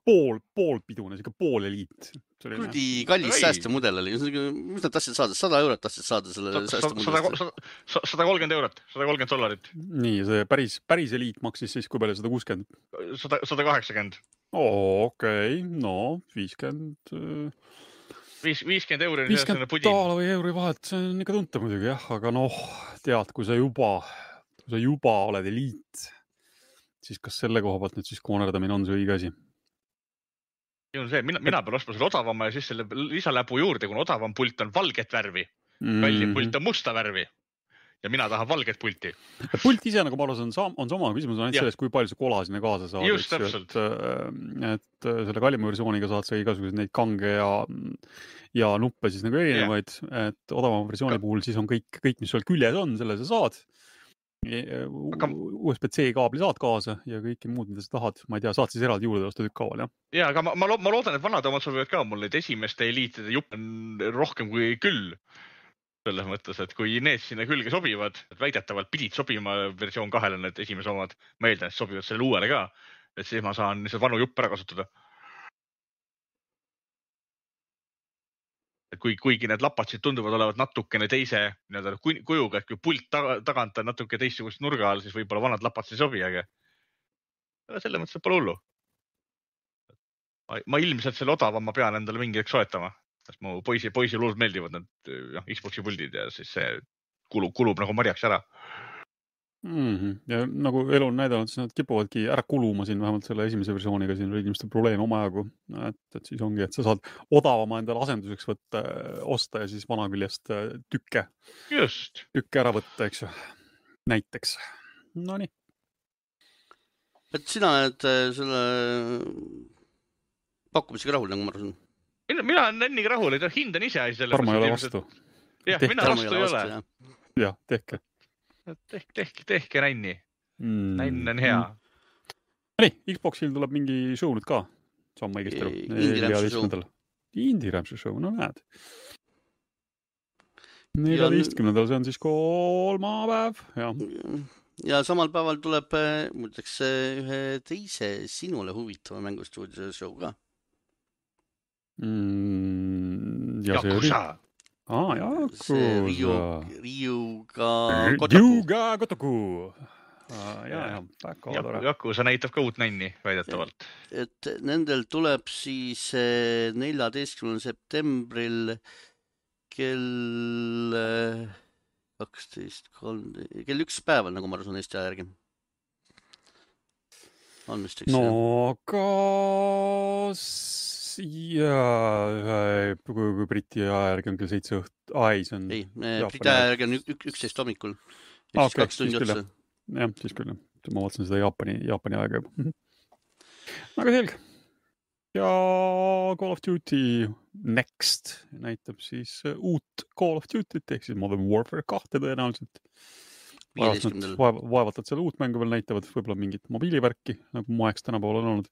Poolpidune, pool eliit. Kurdi kallis säästumudel oli. Mis nad tahtsid saada? 100 eurot tahtsid saada selle säästumudelist? 130 eurot, $130. Nii, see päris eliit maksis siis kui palju? 160? 180. Okei, no 50 euri. $50 või euri vahet, see on ikka tuntav muidugi, jah, aga tead, kui sa juba oled eliit, siis kas selle koha pealt nüüd siis koonerdamine on see õige asi? Mina pean ostma selle odavama ja siis selle lisaläbu juurde, kuna odavam pult on valget värvi, kallim pult on musta värvi ja mina tahan valget pulti. Pult ise, nagu ma arvan, on sama küsimus on ainult selles, kui palju sa kola sinna kaasa saad. Just täpselt. Et selle kallima versiooniga saad sa igasuguseid neid kange ja nuppe siis nagu erinevaid, et odavama versiooni puhul siis on kõik, mis sul küljes on, selle sa saad. USB-C kaabli saad kaasa ja kõike muud, mida sa tahad. Ma ei tea, saad siis eraldi juurde osta tükkaaval, jah? Ja, aga ma loodan, et vanad omad sobivad ka. Mul neid esimeste eliitide jupp on rohkem kui küll. Selles mõttes, et kui need sinna külge sobivad, et väidetavalt pidid sobima versioon 2 need esimese omad, ma eeldan, et sobivad selle uuele ka, et siis ma saan lihtsalt vanu jupp ära kasutada. Et kuigi need lapatsid tunduvad olevat natukene teise kujuga, et kui pult tagant on natuke teistsugust nurga all, siis võib-olla vanad lapatsid ei sobi, aga selle mõttes pole hullu. Ma ilmselt selle odavama pean endale mingi hetk soetama. Sest mu poisi luud meeldivad need Xboxi puldid ja siis see kulub nagu marjaks ära. Ja nagu elu on näidanud, siis nad kipuvadki ära kuluma siin vähemalt selle esimese versiooniga. Siin oli inimeste probleem omajagu, et siis ongi, et sa saad odavama endale asenduseks osta ja siis vana küljest tükke ära võtta, eks ju, näiteks. No nii. Et sina oled selle pakkumisega rahul, nagu ma arvasin? Mina olen enniga rahul, et hind on ise asi. Tarmo ei ole vastu. Jah, mina vastu ei ole. Jah, tehke. Tehke nänni. Nänn on hea. Nii, Xboxil tuleb mingi show nüüd ka. Saam ma õigesti aru. Indie Ramsey show, no näed. 14. see on siis kolmapäev. Ja samal päeval tuleb muideks ühe teise sinule huvitava mängustuudise show ka. Yakuza. Yakuza. Ryuga Gotoku. Väga tore. Yakuza näitab ka uut nänni väidetavalt. Et nendel tuleb siis 14. septembril kell 12:03, kell 1 päeval, nagu ma arvan, Eesti aja järgi. No aga ja kui Briti aja järgi on kell 7 õht. Ai, see on... Ei, Briti aja järgi on 11 hommikul. Ja siis 2 tundi otsa. Jah, siis küll. Ma vaatasin seda Jaapani aega juba. Aga selge. Ja Call of Duty Next näitab siis uut Call of Duty't, ehk siis Modern Warfare 2 tõenäoliselt. Vaevalt, et seal uut mängu veel näitavad, võib-olla mingit mobiilivärki, nagu moeks tänapäeval on olnud.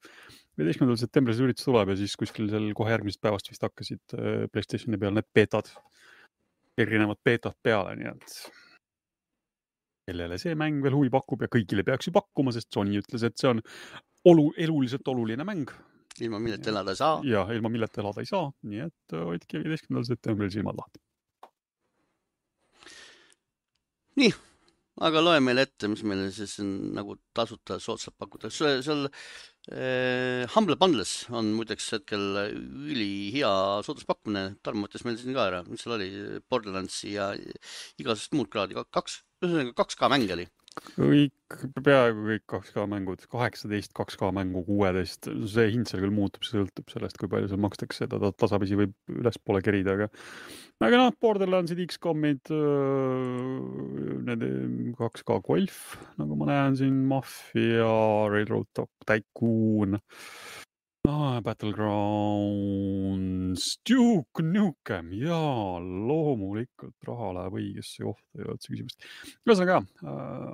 15. septembris üritus tuleb ja siis kuskil seal kohe järgmisest päevast vist hakkasid PlayStationi peal need beetad, erinevad beetad peale, nii et kellele see mäng veel huvi pakub ja kõigile peaks ju pakkuma, sest Sony ütles, et see on eluliselt oluline mäng. Ilma milleta elada ei saa. Ja, ilma milleta elada ei saa, nii et hoidke 15. septembril silmad lahti. Nii, aga loe meile ette, mis meile siis on nagu tasuta soodsalt pakuda. Seal Humble Bundles on muideks hetkel ülihea sooduspakkumine. Tarmo mõttes meil siin ka ära. Mis seal oli? Borderlandsi ja igasest muud kraadi. 2K mäng oli. Peaaegu kõik 2K mängud, 18 2K mängu, 16, see hind seal küll muutub, see sõltub sellest, kui palju seal makstakse, ta tasapisi võib ülespoole kerida, aga Borderlandsid, XCOMid, need 2K Golf, nagu ma näen siin, Mafia, Railroad Tycoon, Battlegrounds, Duke Nukem, jaa, loomulikult raha läheb õigesse kohta ja otse küsimust. Ühesõnaga,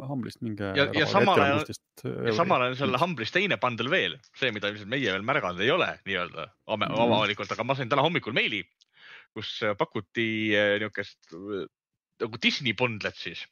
Humblist minge... Ja samal ajal selle Humblist teine bundle veel, see, mida meie veel märganud ei ole, nii-öelda avalikult, aga ma sain täna hommikul meili, kus pakuti niukest nagu Disney bundlet siis.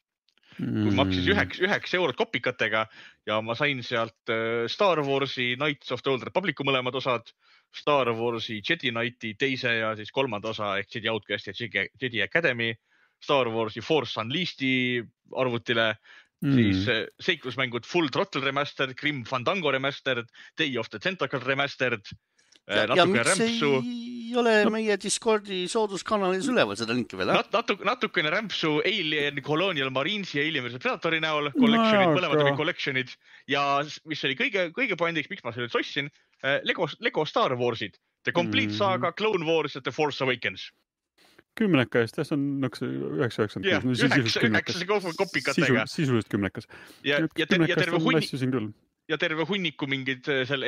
Kui maksis 9 eurot kopikatega ja ma sain sealt Star Warsi Knights of the Old Republicu mõlemad osad, Star Warsi Jedi Knighti teise ja siis kolmanda osa ehk Jedi Outcast ja Jedi Academy, Star Warsi Force Unleashed'i arvutile, siis seiklusmängud Full Throttle Remastered, Grim Fandango Remastered, Day of the Tentacle Remastered, ja miks ei ole meie Discordi sooduskanalis üleval seda linki veel? Natukene rämpsu Alien Colonial Marines ja Alien vs Predatori näol, mõlemad olid collectionid ja mis oli kõige pointiks, miks ma selle sossin, Lego Star Warsid, The Complete Saga, Clone Wars ja The Force Awakens. 10 eest, see on 996. kopikatega. Sisuliselt 10. Ja terve hunniku mingid selle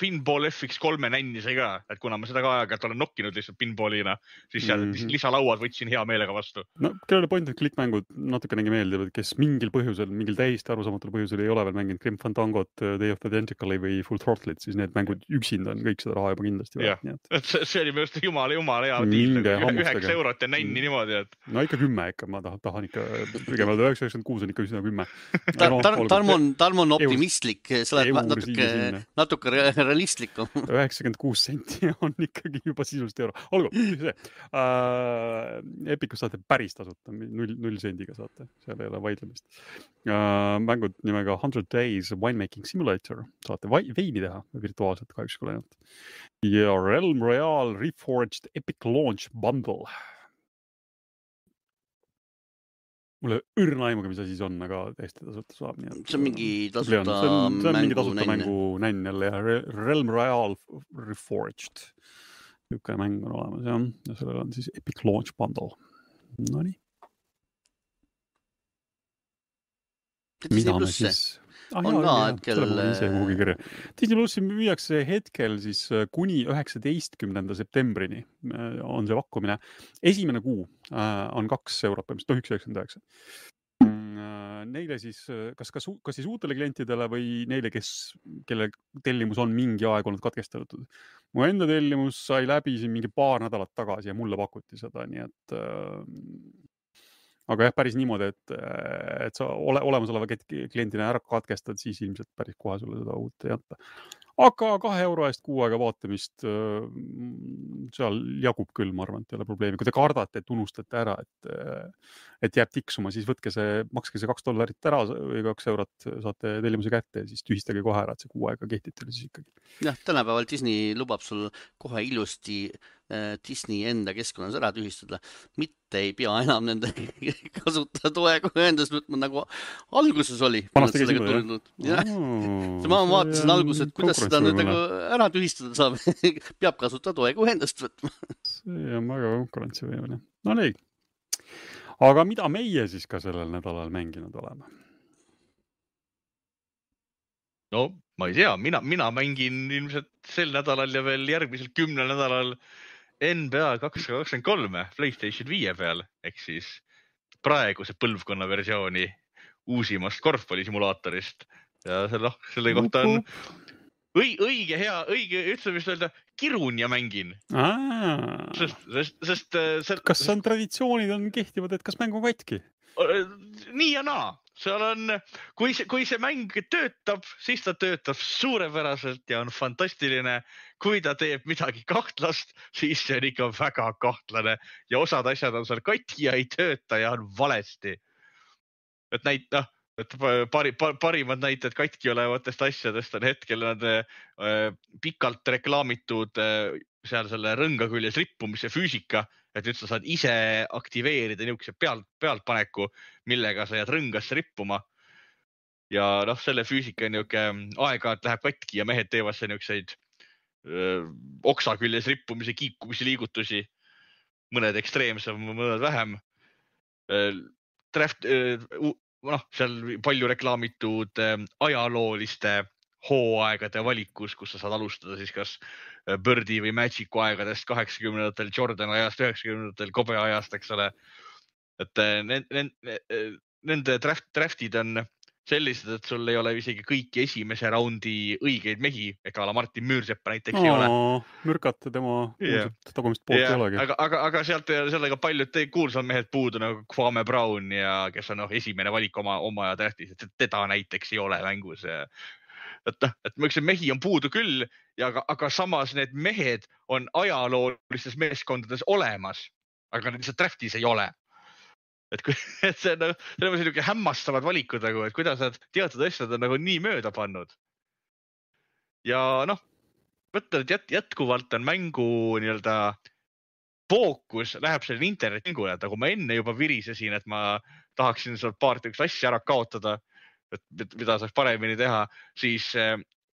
pinball FX3 nänni sai ka, et kuna ma seda ka aega olen nokkinud lihtsalt pinballina, siis seal lisalauad võtsin hea meelega vastu. No, kellele point, et klikkmängud natukenegi meeldivad, kes mingil põhjusel, mingil täiesti arusaamatul põhjusel ei ole veel mänginud Grim Fandangot, Day of the Tentacle'i või Full Throttle'it, siis need mängud üksinda on kõik seda raha juba kindlasti. See oli minu jumala hea diil, 9 eurot ja nänni niimoodi, et... No ikka 10 ikka, ma tahan ikka, kõigepealt 996 on ikka üsna 10. Tarmo on optimistlik, sa oled natuke realistlikum. 96 senti on ikkagi juba sisuliselt euro. Olgu, see. Epicus saate päris tasuta, 0 sendiga saate, seal ei ole vaidlemist. Mängud nimega 100 Days Winemaking Simulator, saate veini teha virtuaalselt kahjuks kui ainult. Ja Realm Royale Reforged Epic Launch Bundle. Mulle õrna aimuga, mis asi see on, aga täiesti tasuta saab. See on mingi tasuta mängu nänn jälle ja Realm Royale Reforged. Niisugune mäng on olemas, jah. Ja sellel on siis Epic Launch Bundle. No nii. Mida me siis... on ka hetkel... Disney Plussi müüakse hetkel siis kuni 19. septembrini on see pakkumine. Esimene kuu on 2 eurot, 1,99. Neile siis, kas siis uutele klientidele või neile, kelle tellimus on mingi aeg olnud katkestatud. Mu enda tellimus sai läbi siin mingi paar nädalat tagasi ja mulle pakuti seda, nii et... Aga jah, päris niimoodi, et sa olemasoleva klientina ära katkestad, siis ilmselt päris kohe sulle seda uut ei anta. Aga 2 euro eest kuu aega vaatamist seal jagub küll, ma arvan, et ei ole probleemi. Kui te kardate, et unustate ära, et jääb tiksuma, siis makske see $2 ära või 2 eurot saate tellimuse kätte ja siis tühistage kohe ära, et see kuu aega kehtib teile siis ikkagi. Jah, tänapäeval Disney lubab sul kohe ilusti Disney enda keskkonnas ära tühistada. Mitte ei pea enam nende kasutada toega ühendust võtma, nagu alguses oli. Vanasti käis niimoodi, jah? Ma vaatasin alguses, et kuidas seda nüüd nagu ära tühistada saab, peab kasutada toegu endast võtma. See on väga konkurentsivõimeline. No nii. Aga mida meie siis ka sellel nädalal mänginud oleme? No, ma ei tea, mina mängin ilmselt sel nädalal ja veel järgmisel 10 nädalal NBA 223 PlayStation 5 peal, ehk siis praeguse põlvkonna versiooni uusimast korvpallisimulaatorist. Ja selle kohta on õige hea, ütleme vist öelda, kirun ja mängin. Kas on traditsioonid on kehtivad, et kas mäng on katki? Nii ja naa. Seal on, kui see mäng töötab, siis ta töötab suurepäraselt ja on fantastiline. Kui ta teeb midagi kahtlast, siis see on ikka väga kahtlane ja osad asjad on seal katki ja ei tööta ja on valesti. Et parimad näited katki olevatest asjadest on hetkel nad pikalt reklaamitud seal selle rõnga küljes rippumise füüsika, et nüüd sa saad ise aktiveerida niisuguse pealtpaneku, millega sa jääd rõngasse rippuma. Ja selle füüsika niisugune aeg-ajalt läheb katki ja mehed teevad see niisuguseid oksa küljes rippumise, kiikumise liigutusi. Mõned ekstreemsem, mõned vähem. Seal palju reklaamitud ajalooliste hooaegade valikus, kus sa saad alustada siis kas Birdi või Magicu aegadest 80-ndatel, Jordan ajast, 90-ndatel, Kobe ajast, eks ole. Et nende draftid on sellised, et sul ei ole isegi kõiki esimese raundi õigeid mehi, ega Martin Müürsepa näiteks ei ole. Mürkata tema tagumist poolt ei olegi. Aga sealt sellega paljud kuulsad mehed puudu, nagu Kwame Brown, ja kes on esimene valik oma draftis, et teda näiteks ei ole mängus. Et ma ütlesin, mehi on puudu küll, aga samas need mehed on ajaloolistes meeskondades olemas, aga need lihtsalt draftis ei ole. Et see on selline hämmastavad valikud, et kuidas nad teatud asjad on nii mööda pannud. Ja mõtlen, et jätkuvalt on mängu fookus läheb selle internetmängule, et nagu ma enne juba virisesin, et ma tahaksin seal paar asja ära kaotada, et mida saaks paremini teha, siis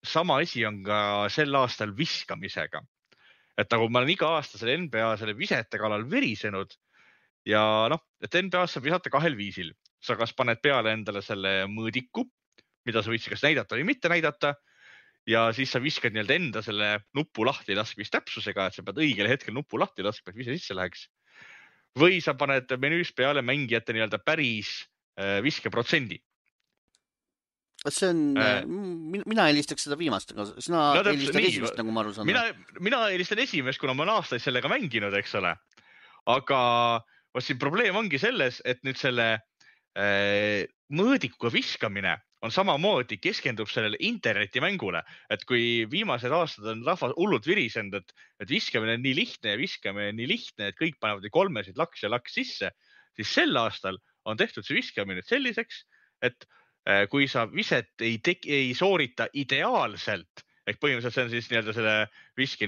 sama asi on ka sel aastal viskamisega. Et nagu ma olen iga aasta selle NBA selle visete kallal virisenud ja et NBA saab visata 2 viisil. Sa kas paned peale endale selle mõõdiku, mida sa võid kas näidata või mitte näidata, ja siis sa viskad enda selle nupu lahti laskmist täpsusega, et sa pead õigel hetkel nupu lahti laskma, et vise sisse läheks. Või sa paned menüüs peale mängijate päris viskeprotsendi. See on, mina eelistaks seda viimast, aga sina eelistad esimest, nagu ma aru saan. Mina eelistan esimest, kuna ma olen aastaid sellega mänginud, eks ole. Aga siin probleem ongi selles, et nüüd selle mõõdikuga viskamine on samamoodi keskendub sellele internetimängule. Et kui viimased aastad on rahvas hullult virisenud, et viskamine on nii lihtne ja viskamine on nii lihtne, et kõik panevad 3 laks ja laks sisse, siis sel aastal on tehtud see viskamine selliseks, et kui sa viset ei soorita ideaalselt, ehk põhimõtteliselt see on siis selle viski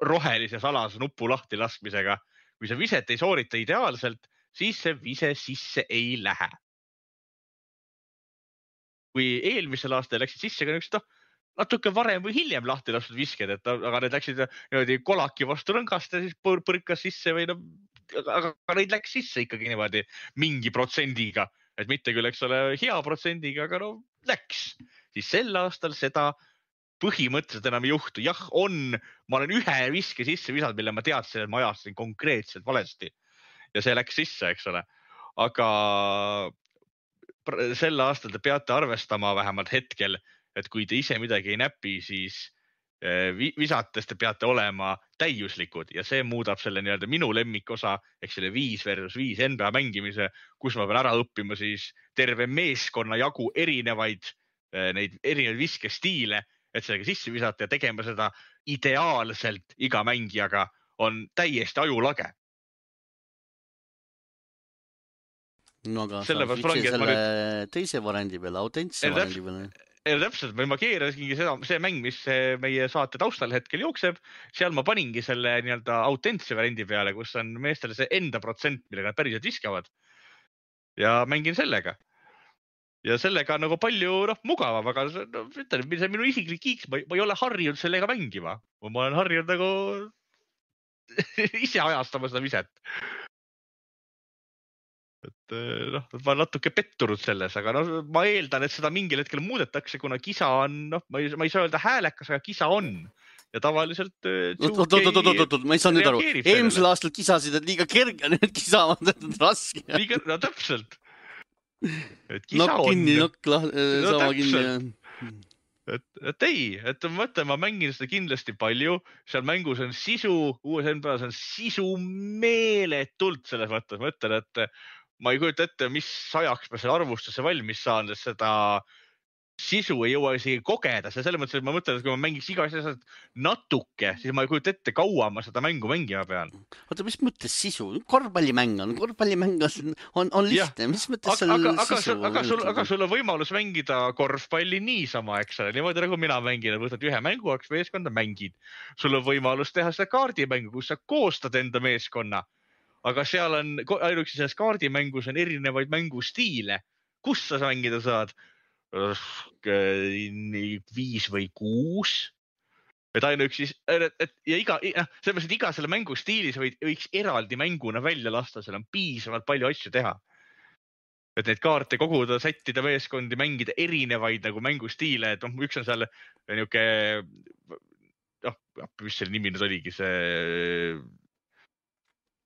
rohelise salase nupu lahti laskmisega. Kui sa viset ei soorita ideaalselt, siis see vise sisse ei lähe. Kui eelmisel aastal läksid sisse ka natuke varem või hiljem lahti lastud visked, aga need läksid kolaki vastu rõngast ja siis põrkas sisse või aga neid läks sisse ikkagi niimoodi mingi protsendiga. Et mitte küll, eks ole, hea protsendiga, aga läks. Siis sel aastal seda põhimõtteliselt enam ei juhtu. Jah, ma olen ühe viske sisse visanud, mille ma teadsin, et ma ajastasin konkreetselt valesti. Ja see läks sisse, eks ole. Aga sel aastal te peate arvestama vähemalt hetkel, et kui te ise midagi ei näpi, siis visates te peate olema täiuslikud ja see muudab selle minu lemmikosa, ehk selle 5 versus 5 NBA mängimise, kus ma pean ära õppima siis terve meeskonna jagu erinevaid viskestiile, et sellega sisse visata ja tegema seda ideaalselt iga mängijaga on täiesti ajulage. No aga sa fiksid selle teise variandi peale, autentse variandi peale. Täpselt, ma keerasingi see mäng, mis meie saate taustal hetkel jookseb, seal ma paningi selle autentse variandi peale, kus on meestele see enda protsent, millega nad päriselt viskavad ja mängin sellega. ja sellega nagu palju mugavam, aga ütlen, see minu isiklik kiiks, ma ei ole harjunud sellega mängima. Ma olen harjunud nagu ise ajastama seda viset. Et ma olen natuke pettunud selles, aga ma eeldan, et seda mingil hetkel muudetakse, kuna kisa on, ma ei saa öelda häälekas, aga kisa on. Ja tavaliselt ma ei saa nüüd aru. Eelmisel aastal kisasid, et liiga kerge, nüüd kisavad, et on raske. No täpselt. Nokk kinni, nokk sama kinni. Et ei, et ma mängin seda kindlasti palju. Seal mängus on sisu, uues NBA-s on sisu meeletult selles mõttes. Ma ütlen, et ma ei kujuta ette, mis ajaks ma selle arvustuse valmis saan, sest seda sisu ei jõua isegi kogeda. Selles mõttes, et ma mõtlen, et kui ma mängiks iga asja natuke, siis ma ei kujuta ette, kaua ma seda mängu mängima pean. Oota, mis mõttes sisu? Korvpallimäng on lihtne. Mis mõttes seal sisu? Aga sul on võimalus mängida korvpalli niisama, eks ole. Niimoodi nagu mina mängin, võtad ühe mängu, eks meeskonda mängid. Sul on võimalus teha seda kaardimängu, kus sa koostad enda meeskonna. Aga seal on, ainuüksi selles kaardimängus on erinevaid mängustiile. Kus sa mängida saad? 5 või 6. Et ainuüksi, ja iga selle mängustiilis võiks eraldi mänguna välja lasta, seal on piisavalt palju asju teha. Et neid kaarte koguda, sättida meeskondi, mängida erinevaid nagu mängustiile, et üks on seal niuke, mis selle nimi nüüd oligi, see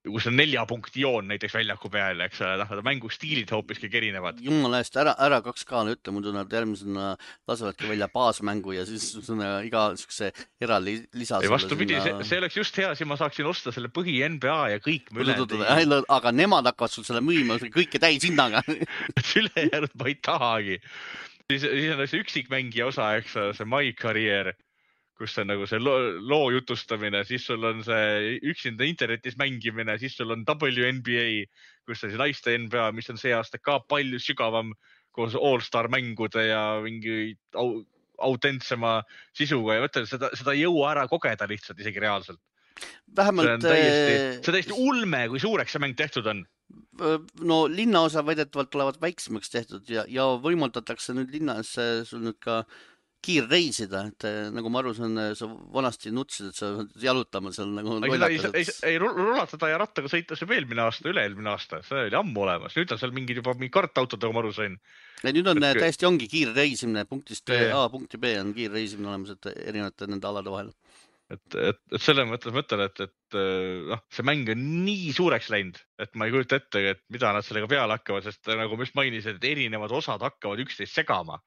kus on 4 punkti joon näiteks väljaku peal, eks ole, mängustiilid hoopiski erinevad. Jumala eest, ära 2K-le ütle, muidu nad järgmisena lasevadki välja baasmängu ja siis iga niisuguse eraldi lisa. Vastupidi, see oleks just hea, siis ma saaksin osta selle põhi NBA ja kõik ülejäänud. Aga nemad hakkavad sul selle müüma kõike täis hinnaga. Ülejäänud ma ei tahagi. Siis on see üksikmängija osa, eks see My Career, kus on nagu see loo jutustamine, siis sul on see üksinda internetis mängimine, siis sul on WNBA, kus on see naiste NBA, mis on see aasta ka palju sügavam koos All-Star mängude ja mingi autentsema sisuga ja mõtlen, seda ei jõua ära kogeda lihtsalt isegi reaalselt. Vähemalt... See täiesti ulme, kui suureks see mäng tehtud on. No linnaosa väidetavalt tulevad väiksemaks tehtud ja võimaldatakse nüüd linnas sul nüüd ka kiirreisida, et nagu ma aru saan, sa vanasti nutsid, et sa jalutama seal nagu lollakas. Ei rulatada ja rattaga sõita see eelmine aasta, üle-eelmine aasta, see oli ammu olemas. Nüüd on seal mingid juba kartautodega, ma aru sain. Ja nüüd on täiesti ongi kiirreisimine, punktist A punkti B on kiirreisimine olemas, et erinevate nende alade vahel. Et selle mõtlen, et see mäng on nii suureks läinud, et ma ei kujuta ette, et mida nad sellega peale hakkavad, sest nagu just mainisid, et erinevad osad hakkavad üksteist segama.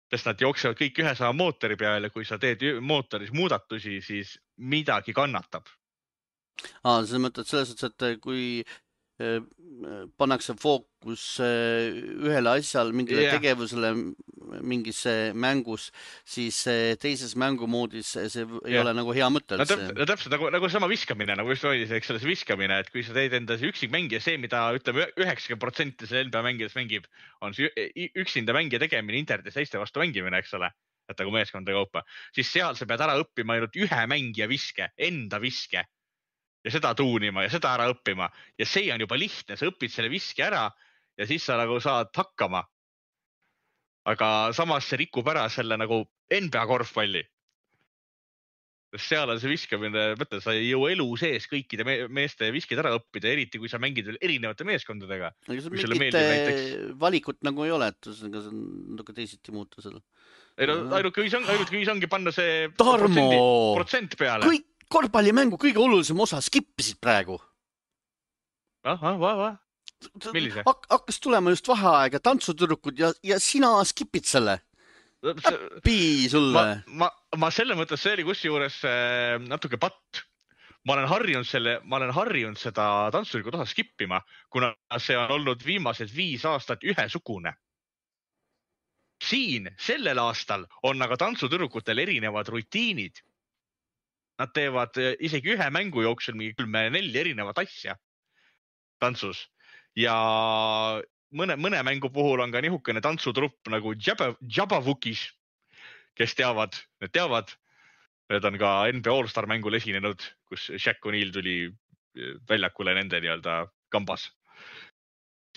Sest nad jooksevad kõik ühe sama mootori peale, kui sa teed mootoris muudatusi, siis midagi kannatab. Sa mõtled selles mõttes, et kui pannakse fookus ühele asjale, mingile tegevusele mingis mängus, siis teises mängumoodis see ei ole nagu hea mõte. Täpselt nagu sama viskamine, nagu just oli see viskamine, et kui sa teed enda üksikmängija, see, mida ütleme 90% selle NBA mängijast mängib, on üksinda mängija tegemine internetis teiste vastu mängimine, eks ole, et nagu meeskonda kaupa, siis seal sa pead ära õppima ainult ühe mängija viske, enda viske. Ja seda tuunima ja seda ära õppima. Ja see on juba lihtne, sa õpid selle viski ära ja siis sa nagu saad hakkama. Aga samas see rikub ära selle nagu NBA korvpalli. Seal on see viskamine, mõtle, sa ei jõua elu sees kõikide meeste viskid ära õppida, eriti kui sa mängid veel erinevate meeskondadega. Mingit valikut nagu ei ole, et see on natuke teisiti muuta seda. Ainult kui ongi panna see protsent peale. Kõik korvpallimängu kõige olulisem osa skippisid praegu. Millise? Hakkas tulema just vaheaeg ja tantsutüdrukud ja sina skipid selle. Äppi sulle. Ma selle mõttes see oli kusjuures natuke patt. Ma olen harjunud seda tantsutüdrukud osa skippima, kuna see on olnud viimased 5 aastat ühesugune. Siin, sellel aastal on aga tantsutüdrukutel erinevad rutiinid. Nad teevad isegi ühe mängu jooksul mingi 3-4 erinevat asja tantsus. Ja mõne mängu puhul on ka nihukene tantsutrupp nagu Jabavukis, kes teavad. Need on ka NBA All-Star mängul esinenud, kus Shaq O'Neal tuli väljakule nende nii-öelda kambas.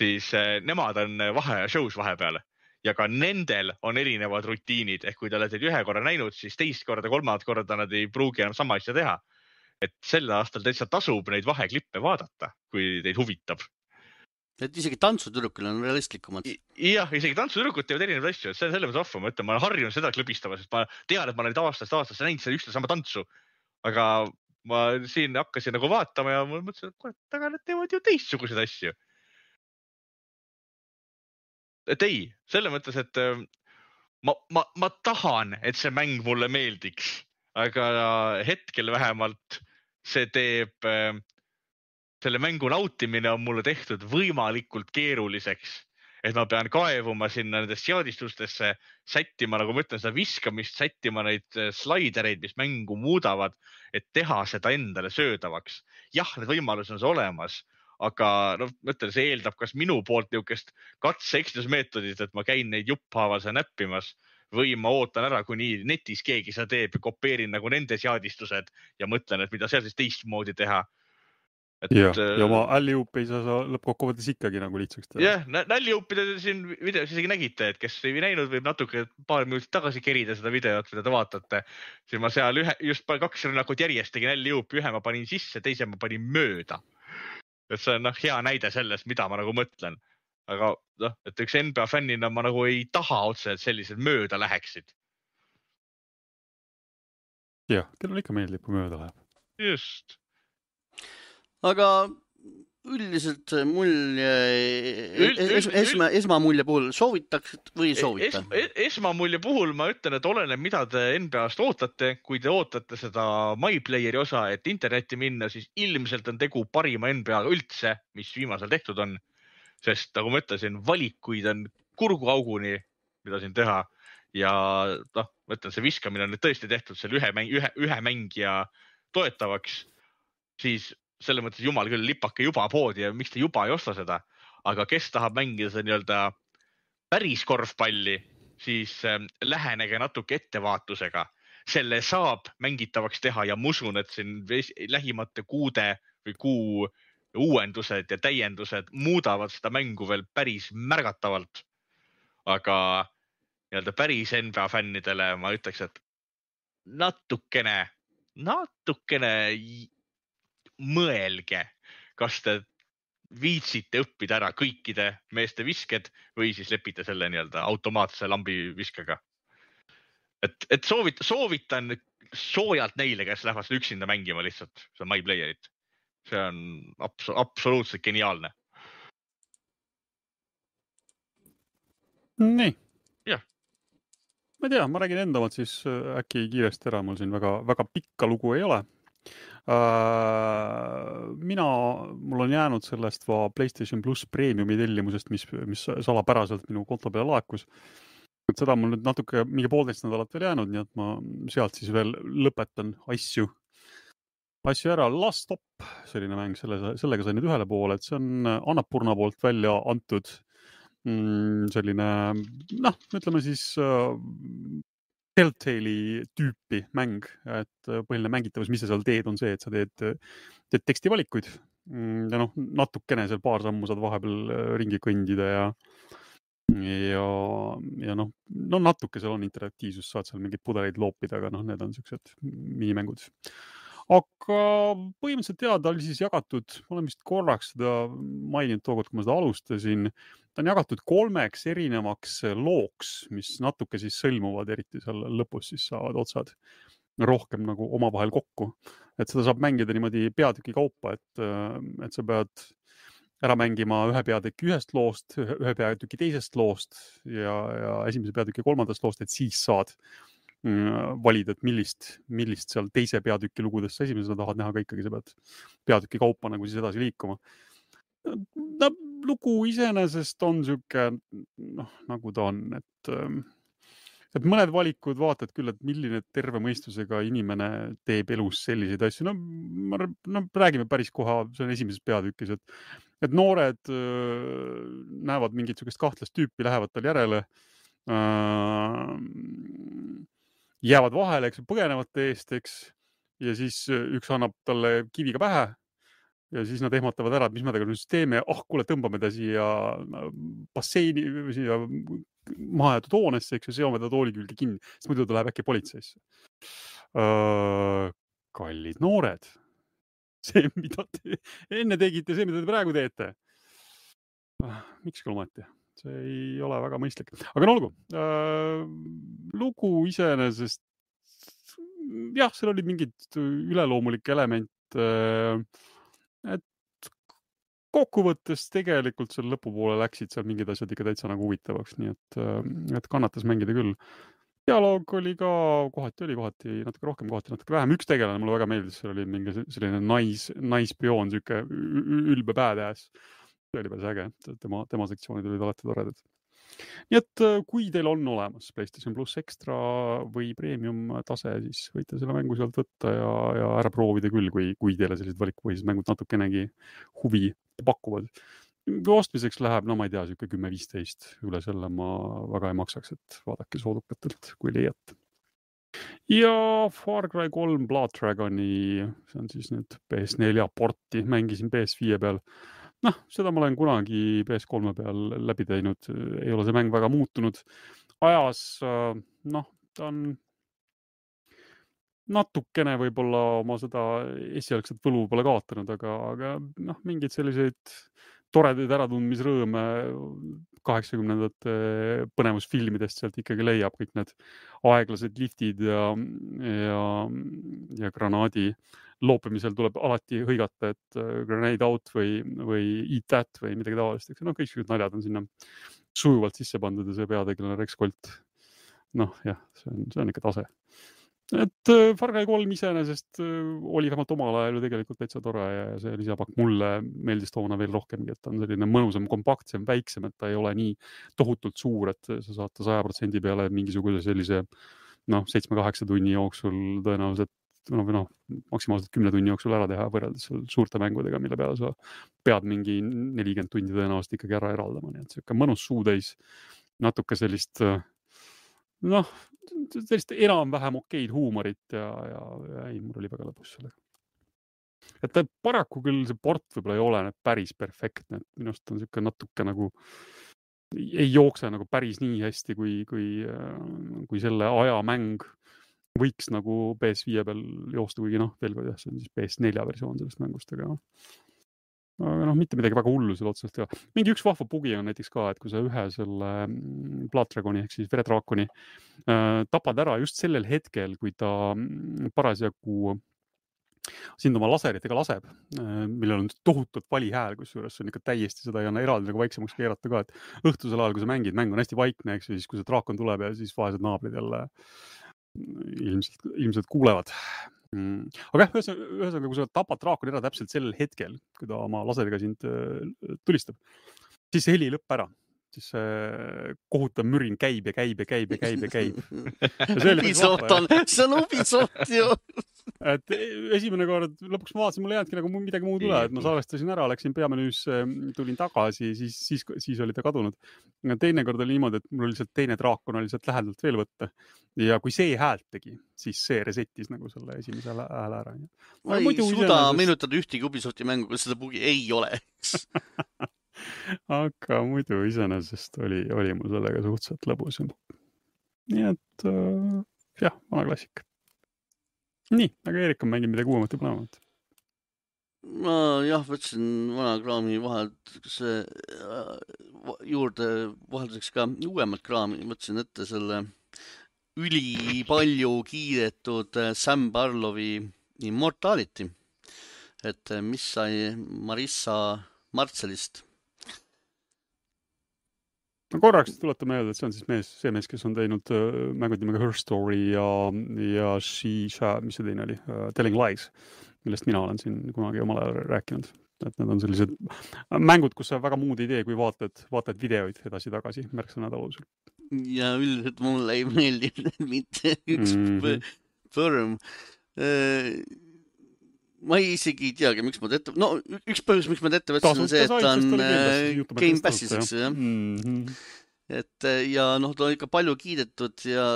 Siis nemad on shows vahepeale. ja ka nendel on erinevad rutiinid, ehk kui te olete ühe korra näinud, siis teist korda, kolmandat korda nad ei pruugi enam sama asja teha. Et sel aastal täitsa tasub neid vaheklippe vaadata, kui teid huvitab. Et isegi tantsutüdrukil on realistlikumad. Jah, isegi tantsutüdrukud teevad erinevaid asju, et see on selles mõttes offa. Ma ütlen, ma olen harjunud seda klõbistama, sest ma tean, et ma olen aastast näinud seda üksteise sama tantsu. Aga ma siin hakkasin nagu vaatama ja ma mõtlesin, et kurat, aga nad teevad ju teistsuguseid asju. Et ei, selle mõttes, et ma tahan, et see mäng mulle meeldiks, aga hetkel vähemalt see teeb, selle mängu nautimine on mulle tehtud võimalikult keeruliseks, et ma pean kaevuma sinna nendest seadistustesse, sättima, nagu ma ütlen, seda viskamist, sättima neid slaidereid, mis mängu muudavad, et teha seda endale söödavaks. Jah, need võimalused on see olemas, aga ma ütlen, see eeldab kas minu poolt niisugust katse-eksitusmeetodit, et ma käin neid jupphaaval näppimas või ma ootan ära, kuni netis keegi seda teeb ja kopeerin nagu nende seadistused ja mõtlen, et mida seal siis teistmoodi teha. Ja oma alley-oop ei saa lõppkokkuvõttes ikkagi nagu lihtsaks teha. Jah, alley-oopide siin videos isegi nägite, et kes ei näinud, võib natuke paar minutit tagasi kerida seda videot, mida te vaatate. Siis ma seal just 2 rünnakut järjest tegin alley-oopi, ühe ma panin sisse, teise ma panin mööda. Et see on hea näide sellest, mida ma nagu mõtlen. Aga et üks NBA fännina ma nagu ei taha otse, et sellised mööda läheksid. Jah, teil on ikka meeldib, kui mööda läheb. Just. Aga üldiselt mulje, esmamulje puhul soovitaks või soovita? Esmamulje puhul ma ütlen, et oleneb, mida te NBA-st ootate. Kui te ootate seda MyPlayeri osa, et internetti minna, siis ilmselt on tegu parima NBA-ga üldse, mis viimasel tehtud on. Sest nagu ma ütlesin, valikuid on kurguauguni, mida siin teha. Ja ma ütlen, see viskamine on nüüd tõesti tehtud selle ühe mängija toetavaks. Siis selle mõttes jumal küll lipake juba poodi ja miks te juba ei osta seda. Aga kes tahab mängida seda nii-öelda päris korvpalli, siis lähenege natuke ettevaatusega. Selle saab mängitavaks teha ja ma usun, et siin lähimate kuude või kuu uuendused ja täiendused muudavad seda mängu veel päris märgatavalt. Aga nii-öelda päris NBA fännidele ma ütleks, et natukene mõelge, kas te viitsite õppida ära kõikide meeste visked või siis lepite selle nii-öelda automaatse lambi viskaga. Et soovitan soojalt neile, kes lähevad seda üksinda mängima lihtsalt, see on MyPlayerit. See on absoluutselt geniaalne. Nii. Jah. Ma ei tea, ma räägin enda omad siis äkki kiiresti ära, mul siin väga pikka lugu ei ole. Mul on jäänud sellest PlayStation Plus Premiumi tellimusest, mis salapäraselt minu konto peale laekus. Et seda mul nüüd natuke mingi 1,5 nädalat veel jäänud, nii et ma sealt siis veel lõpetan asju ära. Last Stop, selline mäng, sellega sai nüüd ühele poole, et see on Annapurna poolt välja antud selline, ütleme siis Telltale'i tüüpi mäng, et põhiline mängitavus, mis sa seal teed, on see, et sa teed tekstivalikuid ja natukene seal paar sammu saad vahepeal ringi kõndida ja natuke seal on interaktiivsus, saad seal mingeid pudeleid loopida, aga need on sellised minimängud. Aga põhimõtteliselt ta oli siis jagatud, ma olen vist korraks seda maininud tookord, kui ma seda alustasin, ta on jagatud 3 erinevaks looks, mis natuke siis sõlmuvad, eriti seal lõpus siis saavad otsad rohkem nagu omavahel kokku. Et seda saab mängida niimoodi peatüki kaupa, et sa pead ära mängima ühe peatüki ühest loost, ühe peatüki teisest loost ja esimese peatüki kolmandast loost, et siis saad valida, et millist seal teise peatüki lugudest sa esimesena tahad näha, aga ikkagi sa pead peatüki kaupa nagu siis edasi liikuma. Lugu iseenesest on siuke, nagu ta on, et mõned valikud vaatad küll, et milline terve mõistusega inimene teeb elus selliseid asju. Räägime päris koha, see on esimeses peatükis, et noored näevad mingit sugust kahtlast tüüpi, lähevad tal järele, jäävad vahele, põgenevad eest, ja siis üks annab talle kiviga pähe ja siis nad ehmatavad ära, et mis me temaga nüüd teeme, kuule, tõmbame ta siia basseini, siia mahajäetud hoonesse, eks ju, seome ta tooli külge kinni, sest muidu ta läheb äkki politseisse. Kallid noored, see, mida te enne tegite, see, mida te praegu teete. Miks küll ometi? See ei ole väga mõistlik. Aga no olgu, lugu iseenesest, jah, seal oli mingid üleloomulik element, et kokkuvõttes tegelikult seal lõpupoole läksid seal mingid asjad ikka täitsa nagu huvitavaks, nii et kannatas mängida küll. Dialoog oli ka, kohati natuke rohkem, kohati natuke vähem. Üks tegelane mulle väga meeldis, seal oli mingi selline naispioon, siuke ülbe badass. See oli päris äge, tema sektsioonid olid alati toredad. Nii et kui teil on olemas PlayStation Plus Extra või Premium tase, siis võite selle mängu sealt võtta ja ära proovida küll, kui teile sellised valikupõhised mängud natukenegi huvi pakuvad. Kui ostmiseks läheb, no ma ei tea, siuke 10-15 üle selle ma väga ei maksaks, et vaadake soodukatelt, kui leiate. Ja Far Cry 3 Blood Dragoni, see on siis nüüd PS4 porti, mängisin PS5 peal. Noh, seda ma olen kunagi PS3 peal läbi teinud, ei ole see mäng väga muutunud. Ajas, ta on natukene võib-olla oma seda esialgset võlu pole kaotanud, aga mingid selliseid toredaid äratundmisrõõme 80-ndate põnevusfilmidest sealt ikkagi leiab, kõik need aeglased liftid ja granaadi loopimisel tuleb alati hõigata, et grenade out või eat that või midagi taolist. Kõik naljad on sinna sujuvalt sisse pandud ja see peategelane Rex Colt. Jah, see on ikka tase. Et Far Cry 3 iseenesest oli vähemalt omal ajal ju tegelikult täitsa tore ja see lisapakk mulle meeldis toona veel rohkemgi, et ta on selline mõnusam, kompaktsem, väiksem, et ta ei ole nii tohutult suur, et sa saad ta 100% peale mingisuguse sellise 7-8 tunni jooksul tõenäoliselt maksimaalselt 10 tunni jooksul ära teha võrreldes suurte mängudega, mille peale sa pead mingi 40 tundi tõenäoliselt ikkagi ära eraldama. Nii et siuke mõnus suutäis, natuke sellist enam-vähem okeid huumorit ja mul oli väga lõbus sellega. Et paraku küll see port võib-olla ei ole päris perfektne, et minust on siuke natuke nagu ei jookse nagu päris nii hästi, kui selle aja mäng võiks nagu PS5 peal joosta, kuigi veel kord see on siis PS4 versioon sellest mängust, aga mitte midagi väga hullu seal otseselt teha. Mingi üks vahva bugi on näiteks ka, et kui sa ühe selle Blood Dragoni ehk siis veredraakoni tapad ära just sellel hetkel, kui ta parasjagu sind oma laseritega laseb, millel on tohutult vali hääl, kusjuures see on ikka täiesti seda ei anna eraldi nagu vaiksemaks keerata ka, et õhtusel ajal, kui sa mängid, mäng on hästi vaikne, eks siis kui see draakon tuleb ja siis vaesed naabrid jälle ilmselt kuulevad. Aga ühesõnaga, kui sa tapad draakoni ära täpselt sellel hetkel, kui ta oma laseriga sind tulistab, siis see heli ei lõpp ära. Siis see kohutav mürin käib ja käib. See on Ubisoft ju. Et esimene kord lõpuks ma vaatasin, mul ei jäädki nagu midagi muud üle, et ma salvestasin ära, läksin peamenüüs, tulin tagasi, siis oli ta kadunud. Teine kord oli niimoodi, et mul oli lihtsalt teine draakon oli sealt lähedalt veel võtta. Ja kui see häält tegi, siis see resetis nagu selle esimese hääle ära. Ma ei suuda meenutada ühtegi Ubisofti mängu, kus seda bugi ei ole. Aga muidu iseenesest oli mul sellega suhteliselt lõbus. Nii et jah, vana klassik. Nii, aga Eerik on mänginud midagi uuemat ja põnevat. Ma jah, võtsin vana kraami vahelt juurde vahelduseks ka uuemat kraami. Võtsin ette selle üli palju kiidetud Sam Barlowi Immortality. Et mis sai Marissa Martselist. No korraks tuletan meelde, et see on siis see mees, kes on teinud mängud nimega Her Story ja mis see teine oli, Telling Lies, millest mina olen siin kunagi omal ajal rääkinud. Et need on sellised mängud, kus sa väga muud ei tee, kui vaatad videoid edasi-tagasi märksõnade alusel. Ja üldiselt mulle ei meeldi mitte üks põrm. Ma isegi ei teagi, miks ma ette... üks põhjus, miks ma ette võtsin, on see, et ta on Game Passis, eks ju, jah. Et ja ta on ikka palju kiidetud ja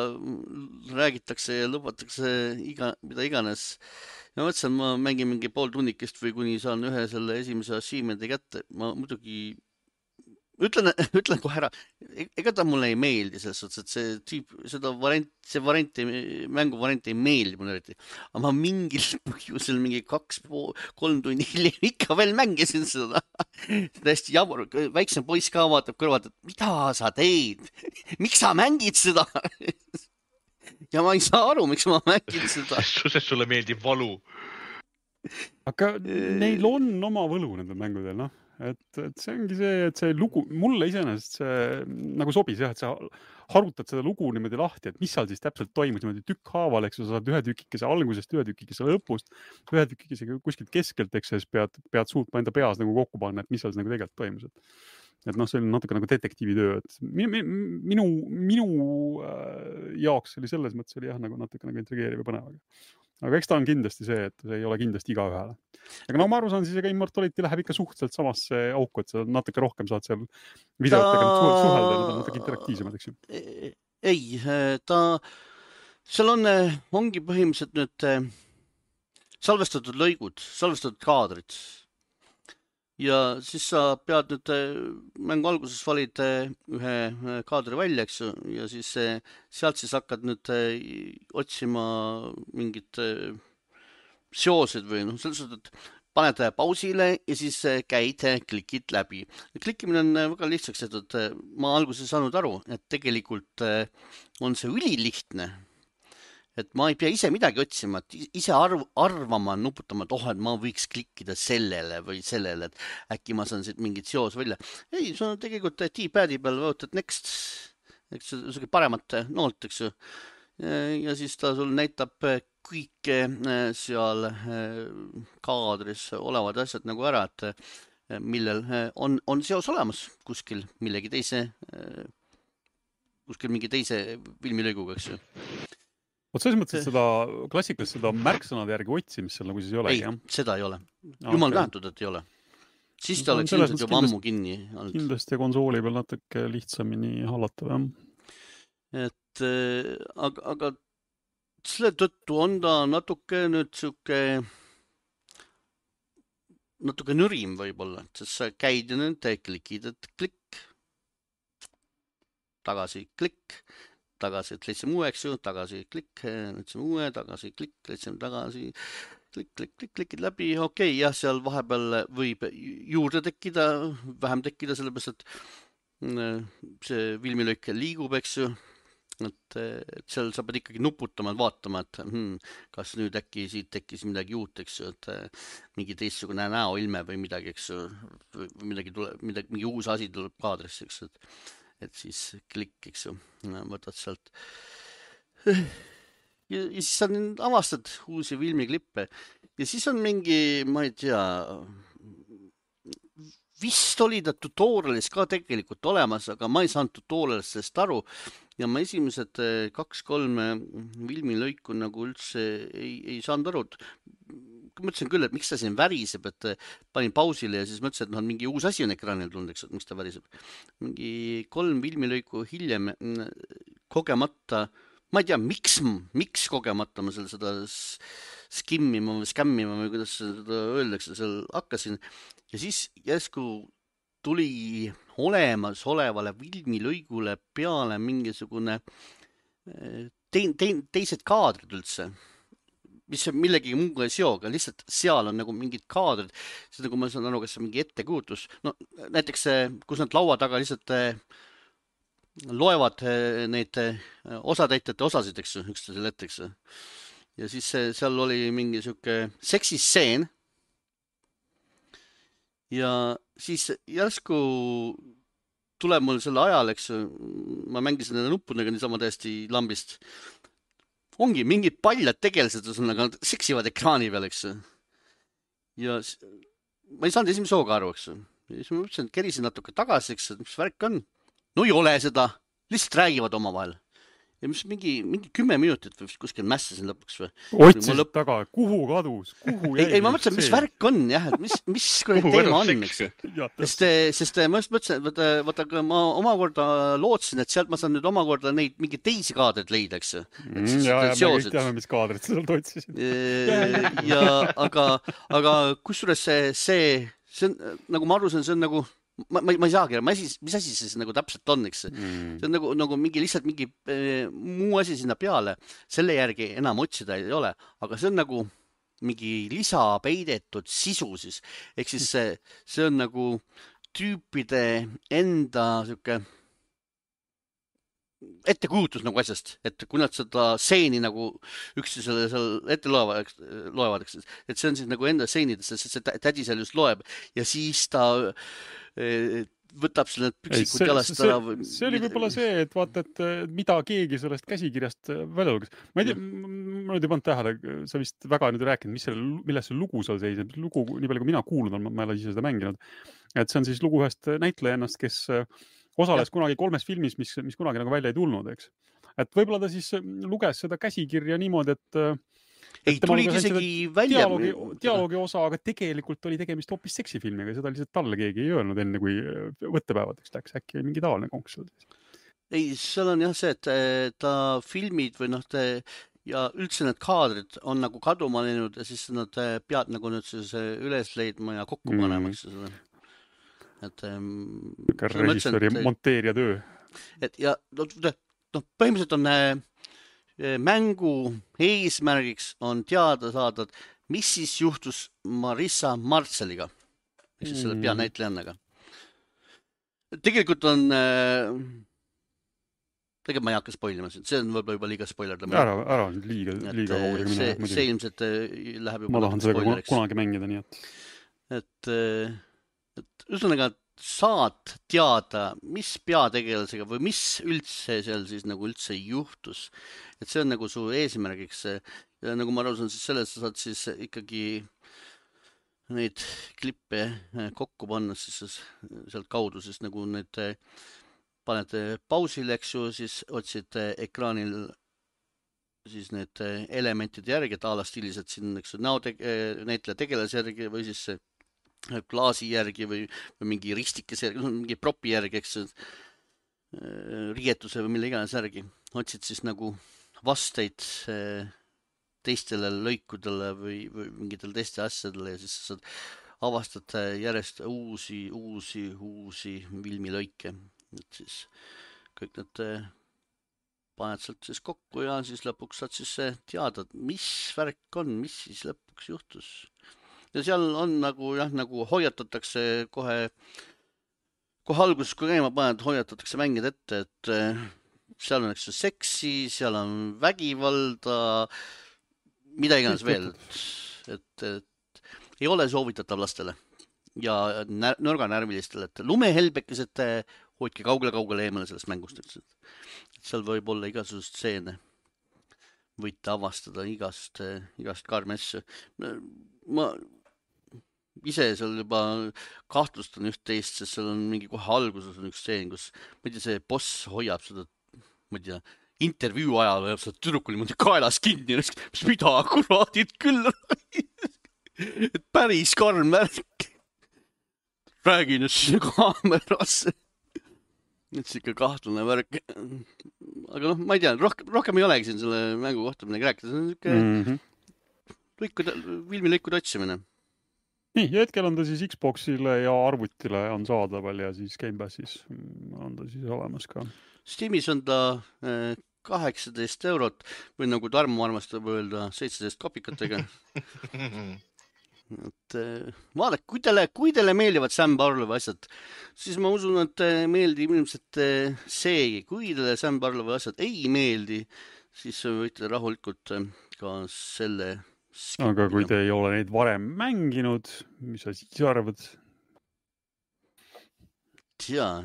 räägitakse ja lubatakse mida iganes. ja mõtlesin, ma mängin mingi pool tunnikest või kuni saan ühe selle esimese achievement'i kätte. Ma muidugi ütlen kohe ära, ega ta mulle ei meeldi selles suhtes, et see tüüp, mängu variant ei meeldi mulle eriti. Aga ma mingil põhjusel mingi 2-3 tundi hiljem ikka veel mängisin seda. Täiesti jabur, väiksem poiss ka vaatab kõrvalt, et mida sa teed? Miks sa mängid seda? Ja ma ei saa aru, miks ma mängin seda. Sest sulle meeldib valu. Aga neil on oma võlu nendel mängudel, noh. Et see ongi see, et see lugu, mulle iseenesest see nagu sobis jah, et sa harutad seda lugu niimoodi lahti, et mis seal siis täpselt toimus niimoodi tükkhaaval, eks sa saad ühe tükikese algusest, ühe tükikese lõpust, ühe tükikese kuskilt keskelt, eks siis pead suutma enda peas nagu kokku panna, et mis seal nagu tegelikult toimus. Et noh, see oli natuke nagu detektiivitöö, et minu jaoks oli selles mõttes oli jah, nagu natuke nagu intrigeeriv ja põnev. Aga eks ta on kindlasti see, et see ei ole kindlasti iga ühele. Aga no ma aru saan, siis ega Immortality läheb ikka suhteliselt samasse auku, et sa natuke rohkem saad seal videotega suhelda, nad on natuke interaktiivsemad, eks ju. Ei, seal ongi põhimõtteliselt nüüd salvestatud lõigud, salvestatud kaadrid. Ja siis sa pead nüüd mängu alguses valid ühe kaadri välja, eks ju, ja siis sealt siis hakkad nüüd otsima mingid seosed või noh, selles suhtes, et paned pausile ja siis käid, klikid läbi. Klikkimine on väga lihtsaks tehtud. Ma alguses saanud aru, et tegelikult on see ülilihtne. Et ma ei pea ise midagi otsima, et ise arvama, nuputama, et et ma võiks klikkida sellele või sellele, et äkki ma saan siit mingit seos välja. Ei, see on tegelikult T-pad'i peal võtad next, eks see paremat noolt, eks ju. Ja siis ta sul näitab kõike seal kaadris olevad asjad nagu ära, et millel on seos olemas kuskil mingi teise filmilõiguga, eks ju. Oot, selles mõttes, et seda klassikalist seda märksõnade järgi otsimist seal nagu siis ei ole? Ei, seda ei ole. Jumal tähentud, et ei ole. Siis ta oleks ilmselt juba ammu kinni. Kindlasti konsooli peal natuke lihtsamini hallatav, jah. Et, aga selle tõttu on ta natuke nüüd siuke natuke nürim võib-olla, sest sa käid ja nüüd klikid, et klikk, tagasi klikk, tagasi, et leidsime uue, eks ju, tagasi klikk, leidsime uue, tagasi klikk, leidsime tagasi, klikid läbi, okei, jah, seal vahepeal võib juurde tekkida, vähem tekkida, sellepärast, et see filmilõik liigub, eks ju, et seal sa pead ikkagi nuputama, vaatama, et kas nüüd äkki siit tekkis midagi uut, eks ju, et mingi teistsugune näoilme või midagi, eks ju, või mingi uus asi tuleb kaadrisse, eks ju, et siis klikk, eks ju, võtad sealt. Ja siis sa avastad uusi filmiklippe ja siis on mingi, ma ei tea, vist oli ta tutorialis ka tegelikult olemas, aga ma ei saanud tutorialist aru ja ma esimesed 2-3 filmilõiku nagu üldse ei saanud aru. Mõtlesin küll, et miks ta siin väriseb, et panin pausile ja siis mõtlesin, et mingi uus asi on ekraanil tulnud, eks, et miks ta väriseb. Mingi 3 filmilõiku hiljem kogemata, ma ei tea, miks kogemata ma seda skimmima või skämmima või kuidas seda öeldakse, seal hakkasin ja siis järsku tuli olemasolevale filmilõigule peale mingisugune teised kaadrid üldse, mis millegi muuga ei seoga, lihtsalt seal on nagu mingid kaadrid, siis nagu ma saan aru, kas see mingi ettekujutus, no näiteks kus nad laua taga lihtsalt loevad neid osatäitjate osasid, eks ju, üksteisele ette, eks ju. Ja siis seal oli mingi siuke seksisseen ja siis järsku tuleb mul selle ajal, eks ju, ma mängisin nende nuppudega niisama täiesti lambist. Ongi mingid paljad tegelised, aga nad seksivad ekraani peal, eks ju. Ja ma ei saanud esimese hooga aru, eks ju. Ja siis ma mõtlesin, et kerisin natuke tagasi, eks ju, mis värk on. No ei ole seda, lihtsalt räägivad omavahel. ja mis mingi 10 minutit või kuskil mässasin lõpuks või. Otsisid taga, kuhu kadus, kuhu jäi? Ei, ma mõtlen, mis värk on jah, et mis teema on, eks. Sest ma just mõtlesin, et vaata, ma omakorda lootsin, et sealt ma saan nüüd omakorda neid mingi teisi kaadreid leida, eks. Ja me kõik teame, mis kaadreid sa sealt otsisid. Aga kusjuures see on, nagu ma aru saan, see on nagu ma ei saagi, mis asi see nagu täpselt on, eks. See on nagu mingi lihtsalt mingi muu asi sinna peale. Selle järgi enam otsida ei ole, aga see on nagu mingi lisapeidetud sisu siis. Ehk siis see on nagu tüüpide enda siuke ettekujutus nagu asjast, et kui nad seda seeni nagu üksteisele seal ette loevad, eks, et see on siis nagu enda seenidest, sest see tädi seal just loeb ja siis ta võtab selle püksikud jalast ära. See oli võib-olla see, et vaata, et mida keegi sellest käsikirjast välja luges. Ma ei tea, ma nüüd ei pannud tähele, sa vist väga nüüd rääkinud, milles see lugu seal seisneb. Lugu, nii palju kui mina kuulnud olen, ma ei ole ise seda mänginud. Et see on siis lugu ühest näitlejannast, kes osales kunagi 3 filmis, mis kunagi nagu välja ei tulnud, eks. Et võib-olla ta siis luges seda käsikirja niimoodi, et ei, tulid isegi välja. Dialoogi osa, aga tegelikult oli tegemist hoopis seksifilmiga. Seda lihtsalt talle keegi ei öelnud enne, kui võttepäevadeks läks. Äkki mingi tavaline konks. Ei, seal on jah see, et ta filmid või ja üldse need kaadrid on nagu kaduma läinud ja siis nad pead nagu nüüd siis üles leidma ja kokku panema. Et režissööri monteerija töö. Et ja põhimõtteliselt on mängu eesmärgiks on teada saada, mis siis juhtus Marissa Marceliga, mis siis selle peanäitlejannaga. Tegelikult on tegelikult ma ei hakka spoilima, see on võib-olla juba liiga spoiler. Ära liiga kaugele minna. See ilmselt läheb juba ma tahan seda kunagi mängida, nii et ühesõnaga saad teada, mis peategelasega või mis üldse seal siis nagu üldse juhtus. Et see on nagu su eesmärgiks. Ja nagu ma aru saan, siis selles sa saad siis ikkagi neid klippe kokku panna siis sealt kaudu, siis nagu need paned pausile, eks ju, siis otsid ekraanil siis need elementide järgi, et ala stiiliselt siin, eks ju, näitleja tegelase järgi või siis klaasi järgi või mingi ristikese järgi, mingi propi järgi, eks riietuse või mille iganes järgi. Otsid siis nagu vasteid teistele lõikudele või mingitel teiste asjadele ja siis saad avastad järjest uusi filmilõike. Et siis kõik need paned sealt siis kokku ja siis lõpuks saad siis teada, mis värk on, mis siis lõpuks juhtus. Ja seal on nagu, nagu hoiatatakse kohe alguses, kui käima paned, hoiatatakse mängid ette, et seal on eks seksi, seal on vägivalda, mida iganes veel, et ei ole soovitatav lastele ja nõrganärvilistele, et lumehelbekesed hoidke kaugele eemale sellest mängust, et seal võib olla igasugust stseene, võite avastada igast karmessu. Ma ise seal juba kahtlustan üht-teist, sest seal on mingi kohe alguses on üks stseen, kus ma ei tea, see boss hoiab seda, ma ei tea, intervjuu ajal hoiab seda tüdrukul niimoodi kaelas kinni, mis mida kuraadid küll et päris karm värk. Räägin just kaamerasse. Et see ikka kahtlane värk. Aga ma ei tea, rohkem ei olegi siin selle mängu kohta midagi rääkida. See on niisugune filmilõikude otsimine. Nii, ja hetkel on ta siis Xboxile ja arvutile on saadaval ja siis Game Passis on ta siis olemas ka. Steamis on ta 18 eurot või nagu Tarmo armastab öelda 17 kopikatega. Et vaadake, kui teile meeldivad Sam Barlowi asjad, siis ma usun, et meeldib ilmselt seegi. Kui teile Sam Barlowi asjad ei meeldi, siis võite rahulikult ka selle aga kui te ei ole neid varem mänginud, mis sa siis arvad? Jaa.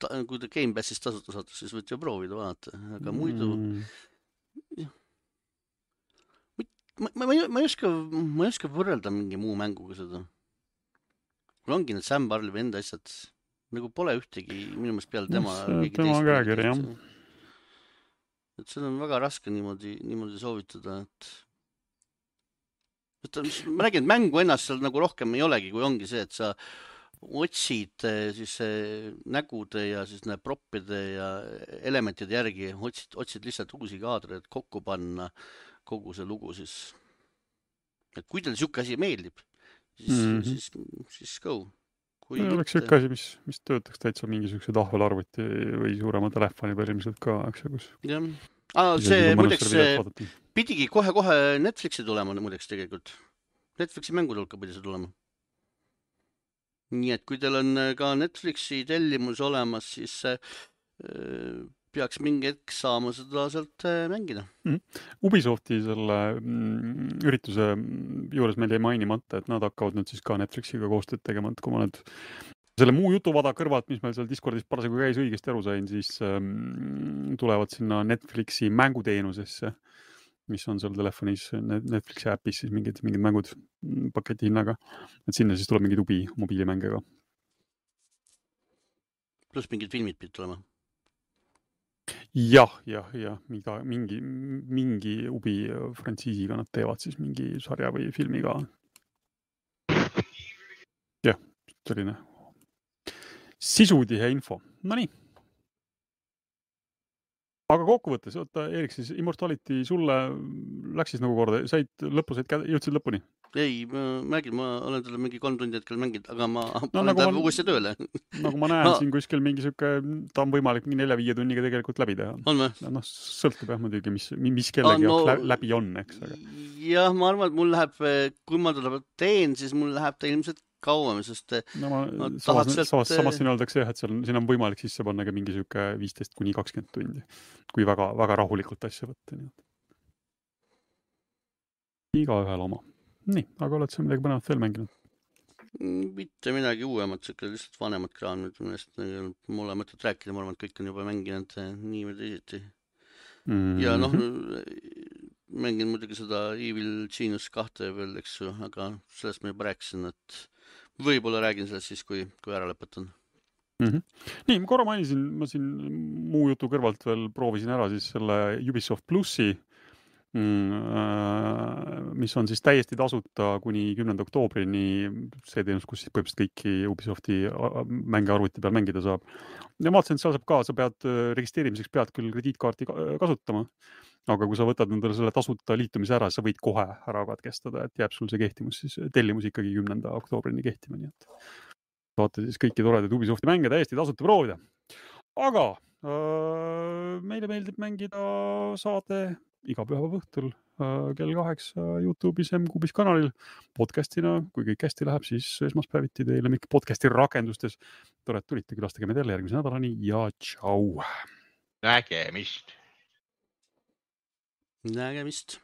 Kui te Game Passis tasuta saate, siis võite ju proovida vaadata. Aga muidu... Ma ei oska võrrelda mingi muu mänguga seda. Kui ongi need Sam Barlowi enda asjad, nagu pole ühtegi minu meelest peale tema... Tema käekiri, jah. et seda on väga raske niimoodi soovitada, et ma räägin, et mängu ennast seal nagu rohkem ei olegi, kui ongi see, et sa otsid siis nägude ja siis proppide ja elementide järgi, otsid lihtsalt uusi kaadreid kokku panna kogu see lugu siis. Et kui teil siuke asi meeldib, siis go. Oleks siuke asi, mis töötaks täitsa mingisuguse tahvelarvuti või suurema telefoni peal ilmselt ka, eks kus. Jah. See muideks pidigi kohe Netflixi tulema muideks tegelikult. Netflixi mängud hulka pidi see tulema. Nii et kui teil on ka Netflixi tellimus olemas, siis peaks mingi hetk saama seda sealt mängida. Ubisofti selle ürituse juures meil jäi mainimata, et nad hakkavad nüüd siis ka Netflixiga koostööd tegema, et kui ma nüüd selle muu jutuvada kõrvalt, mis meil seal Discordis parasjagu käis, õigesti aru sain, siis tulevad sinna Netflixi mänguteenusesse, mis on seal telefonis Netflixi äpis siis mingid mängud paketi hinnaga, et sinna siis tuleb mingid mobiilimänge ka. Plus mingid filmid pidid tulema. Jah, mingi ubi frantsiisiga nad teevad siis mingi sarja või filmi ka. Jah, selline sisutihe info. No nii. Aga kokkuvõttes, Erik, siis Immortality sulle läks siis nagu korda, jõudsid lõpuni? Ei, ma olen talle mingi 3 tundi hetkel mänginud, aga ma panen ta uuesti tööle. Nagu ma näen siin kuskil mingi siuke, ta on võimalik 4-5 tunniga tegelikult läbi teha. On või? No, sõltub jah muidugi, mis kellegi läbi on, eks. Jah, ma arvan, et mul läheb, kui ma teda teen, siis mul läheb ta ilmselt kauem, sest samas siin öeldakse, et siin on võimalik sisse panna ka mingi siuke 15-20 tundi, kui väga, väga rahulikult asja võtta. Iga ühel oma. Nii, aga oled sa midagi põnevat veel mänginud? Mitte midagi uuemat, lihtsalt vanemad kraamid, millest mul ole mõtet rääkida, ma arvan, et kõik on juba mänginud nii või teisiti. Ja mängin muidugi seda Evil Genius 2 veel, eks ju, aga sellest ma juba rääkisin, et võib-olla räägin sellest siis, kui ära lõpetan. Nii, ma korra mainisin, ma siin muu jutu kõrvalt veel proovisin ära siis selle Ubisoft Plussi, mis on siis täiesti tasuta kuni 10. oktoobrini see teenus, kus siis põhimõtteliselt kõiki Ubisofti mänge arvuti peal mängida saab. Ja ma vaatasin, et seal saab ka, sa pead registreerimiseks pead küll krediitkaarti kasutama, aga kui sa võtad endale selle tasuta liitumise ära, sa võid kohe ära katkestada, et jääb sul see kehtimus, siis tellimus ikkagi 10. oktoobrini kehtima, nii et saate siis kõiki toredaid Ubisofti mänge täiesti tasuta proovida. Aga meile meeldib mängida saade iga pühapäeva õhtul kell 8 YouTube'is M-Kubis kanalil podcastina, kui kõik hästi läheb, siis esmaspäeviti teile mikk podcasti rakendustes. Tore, et tulite, külastage meid jälle järgmise nädalani ja tšau! Nägemist! Nägemist!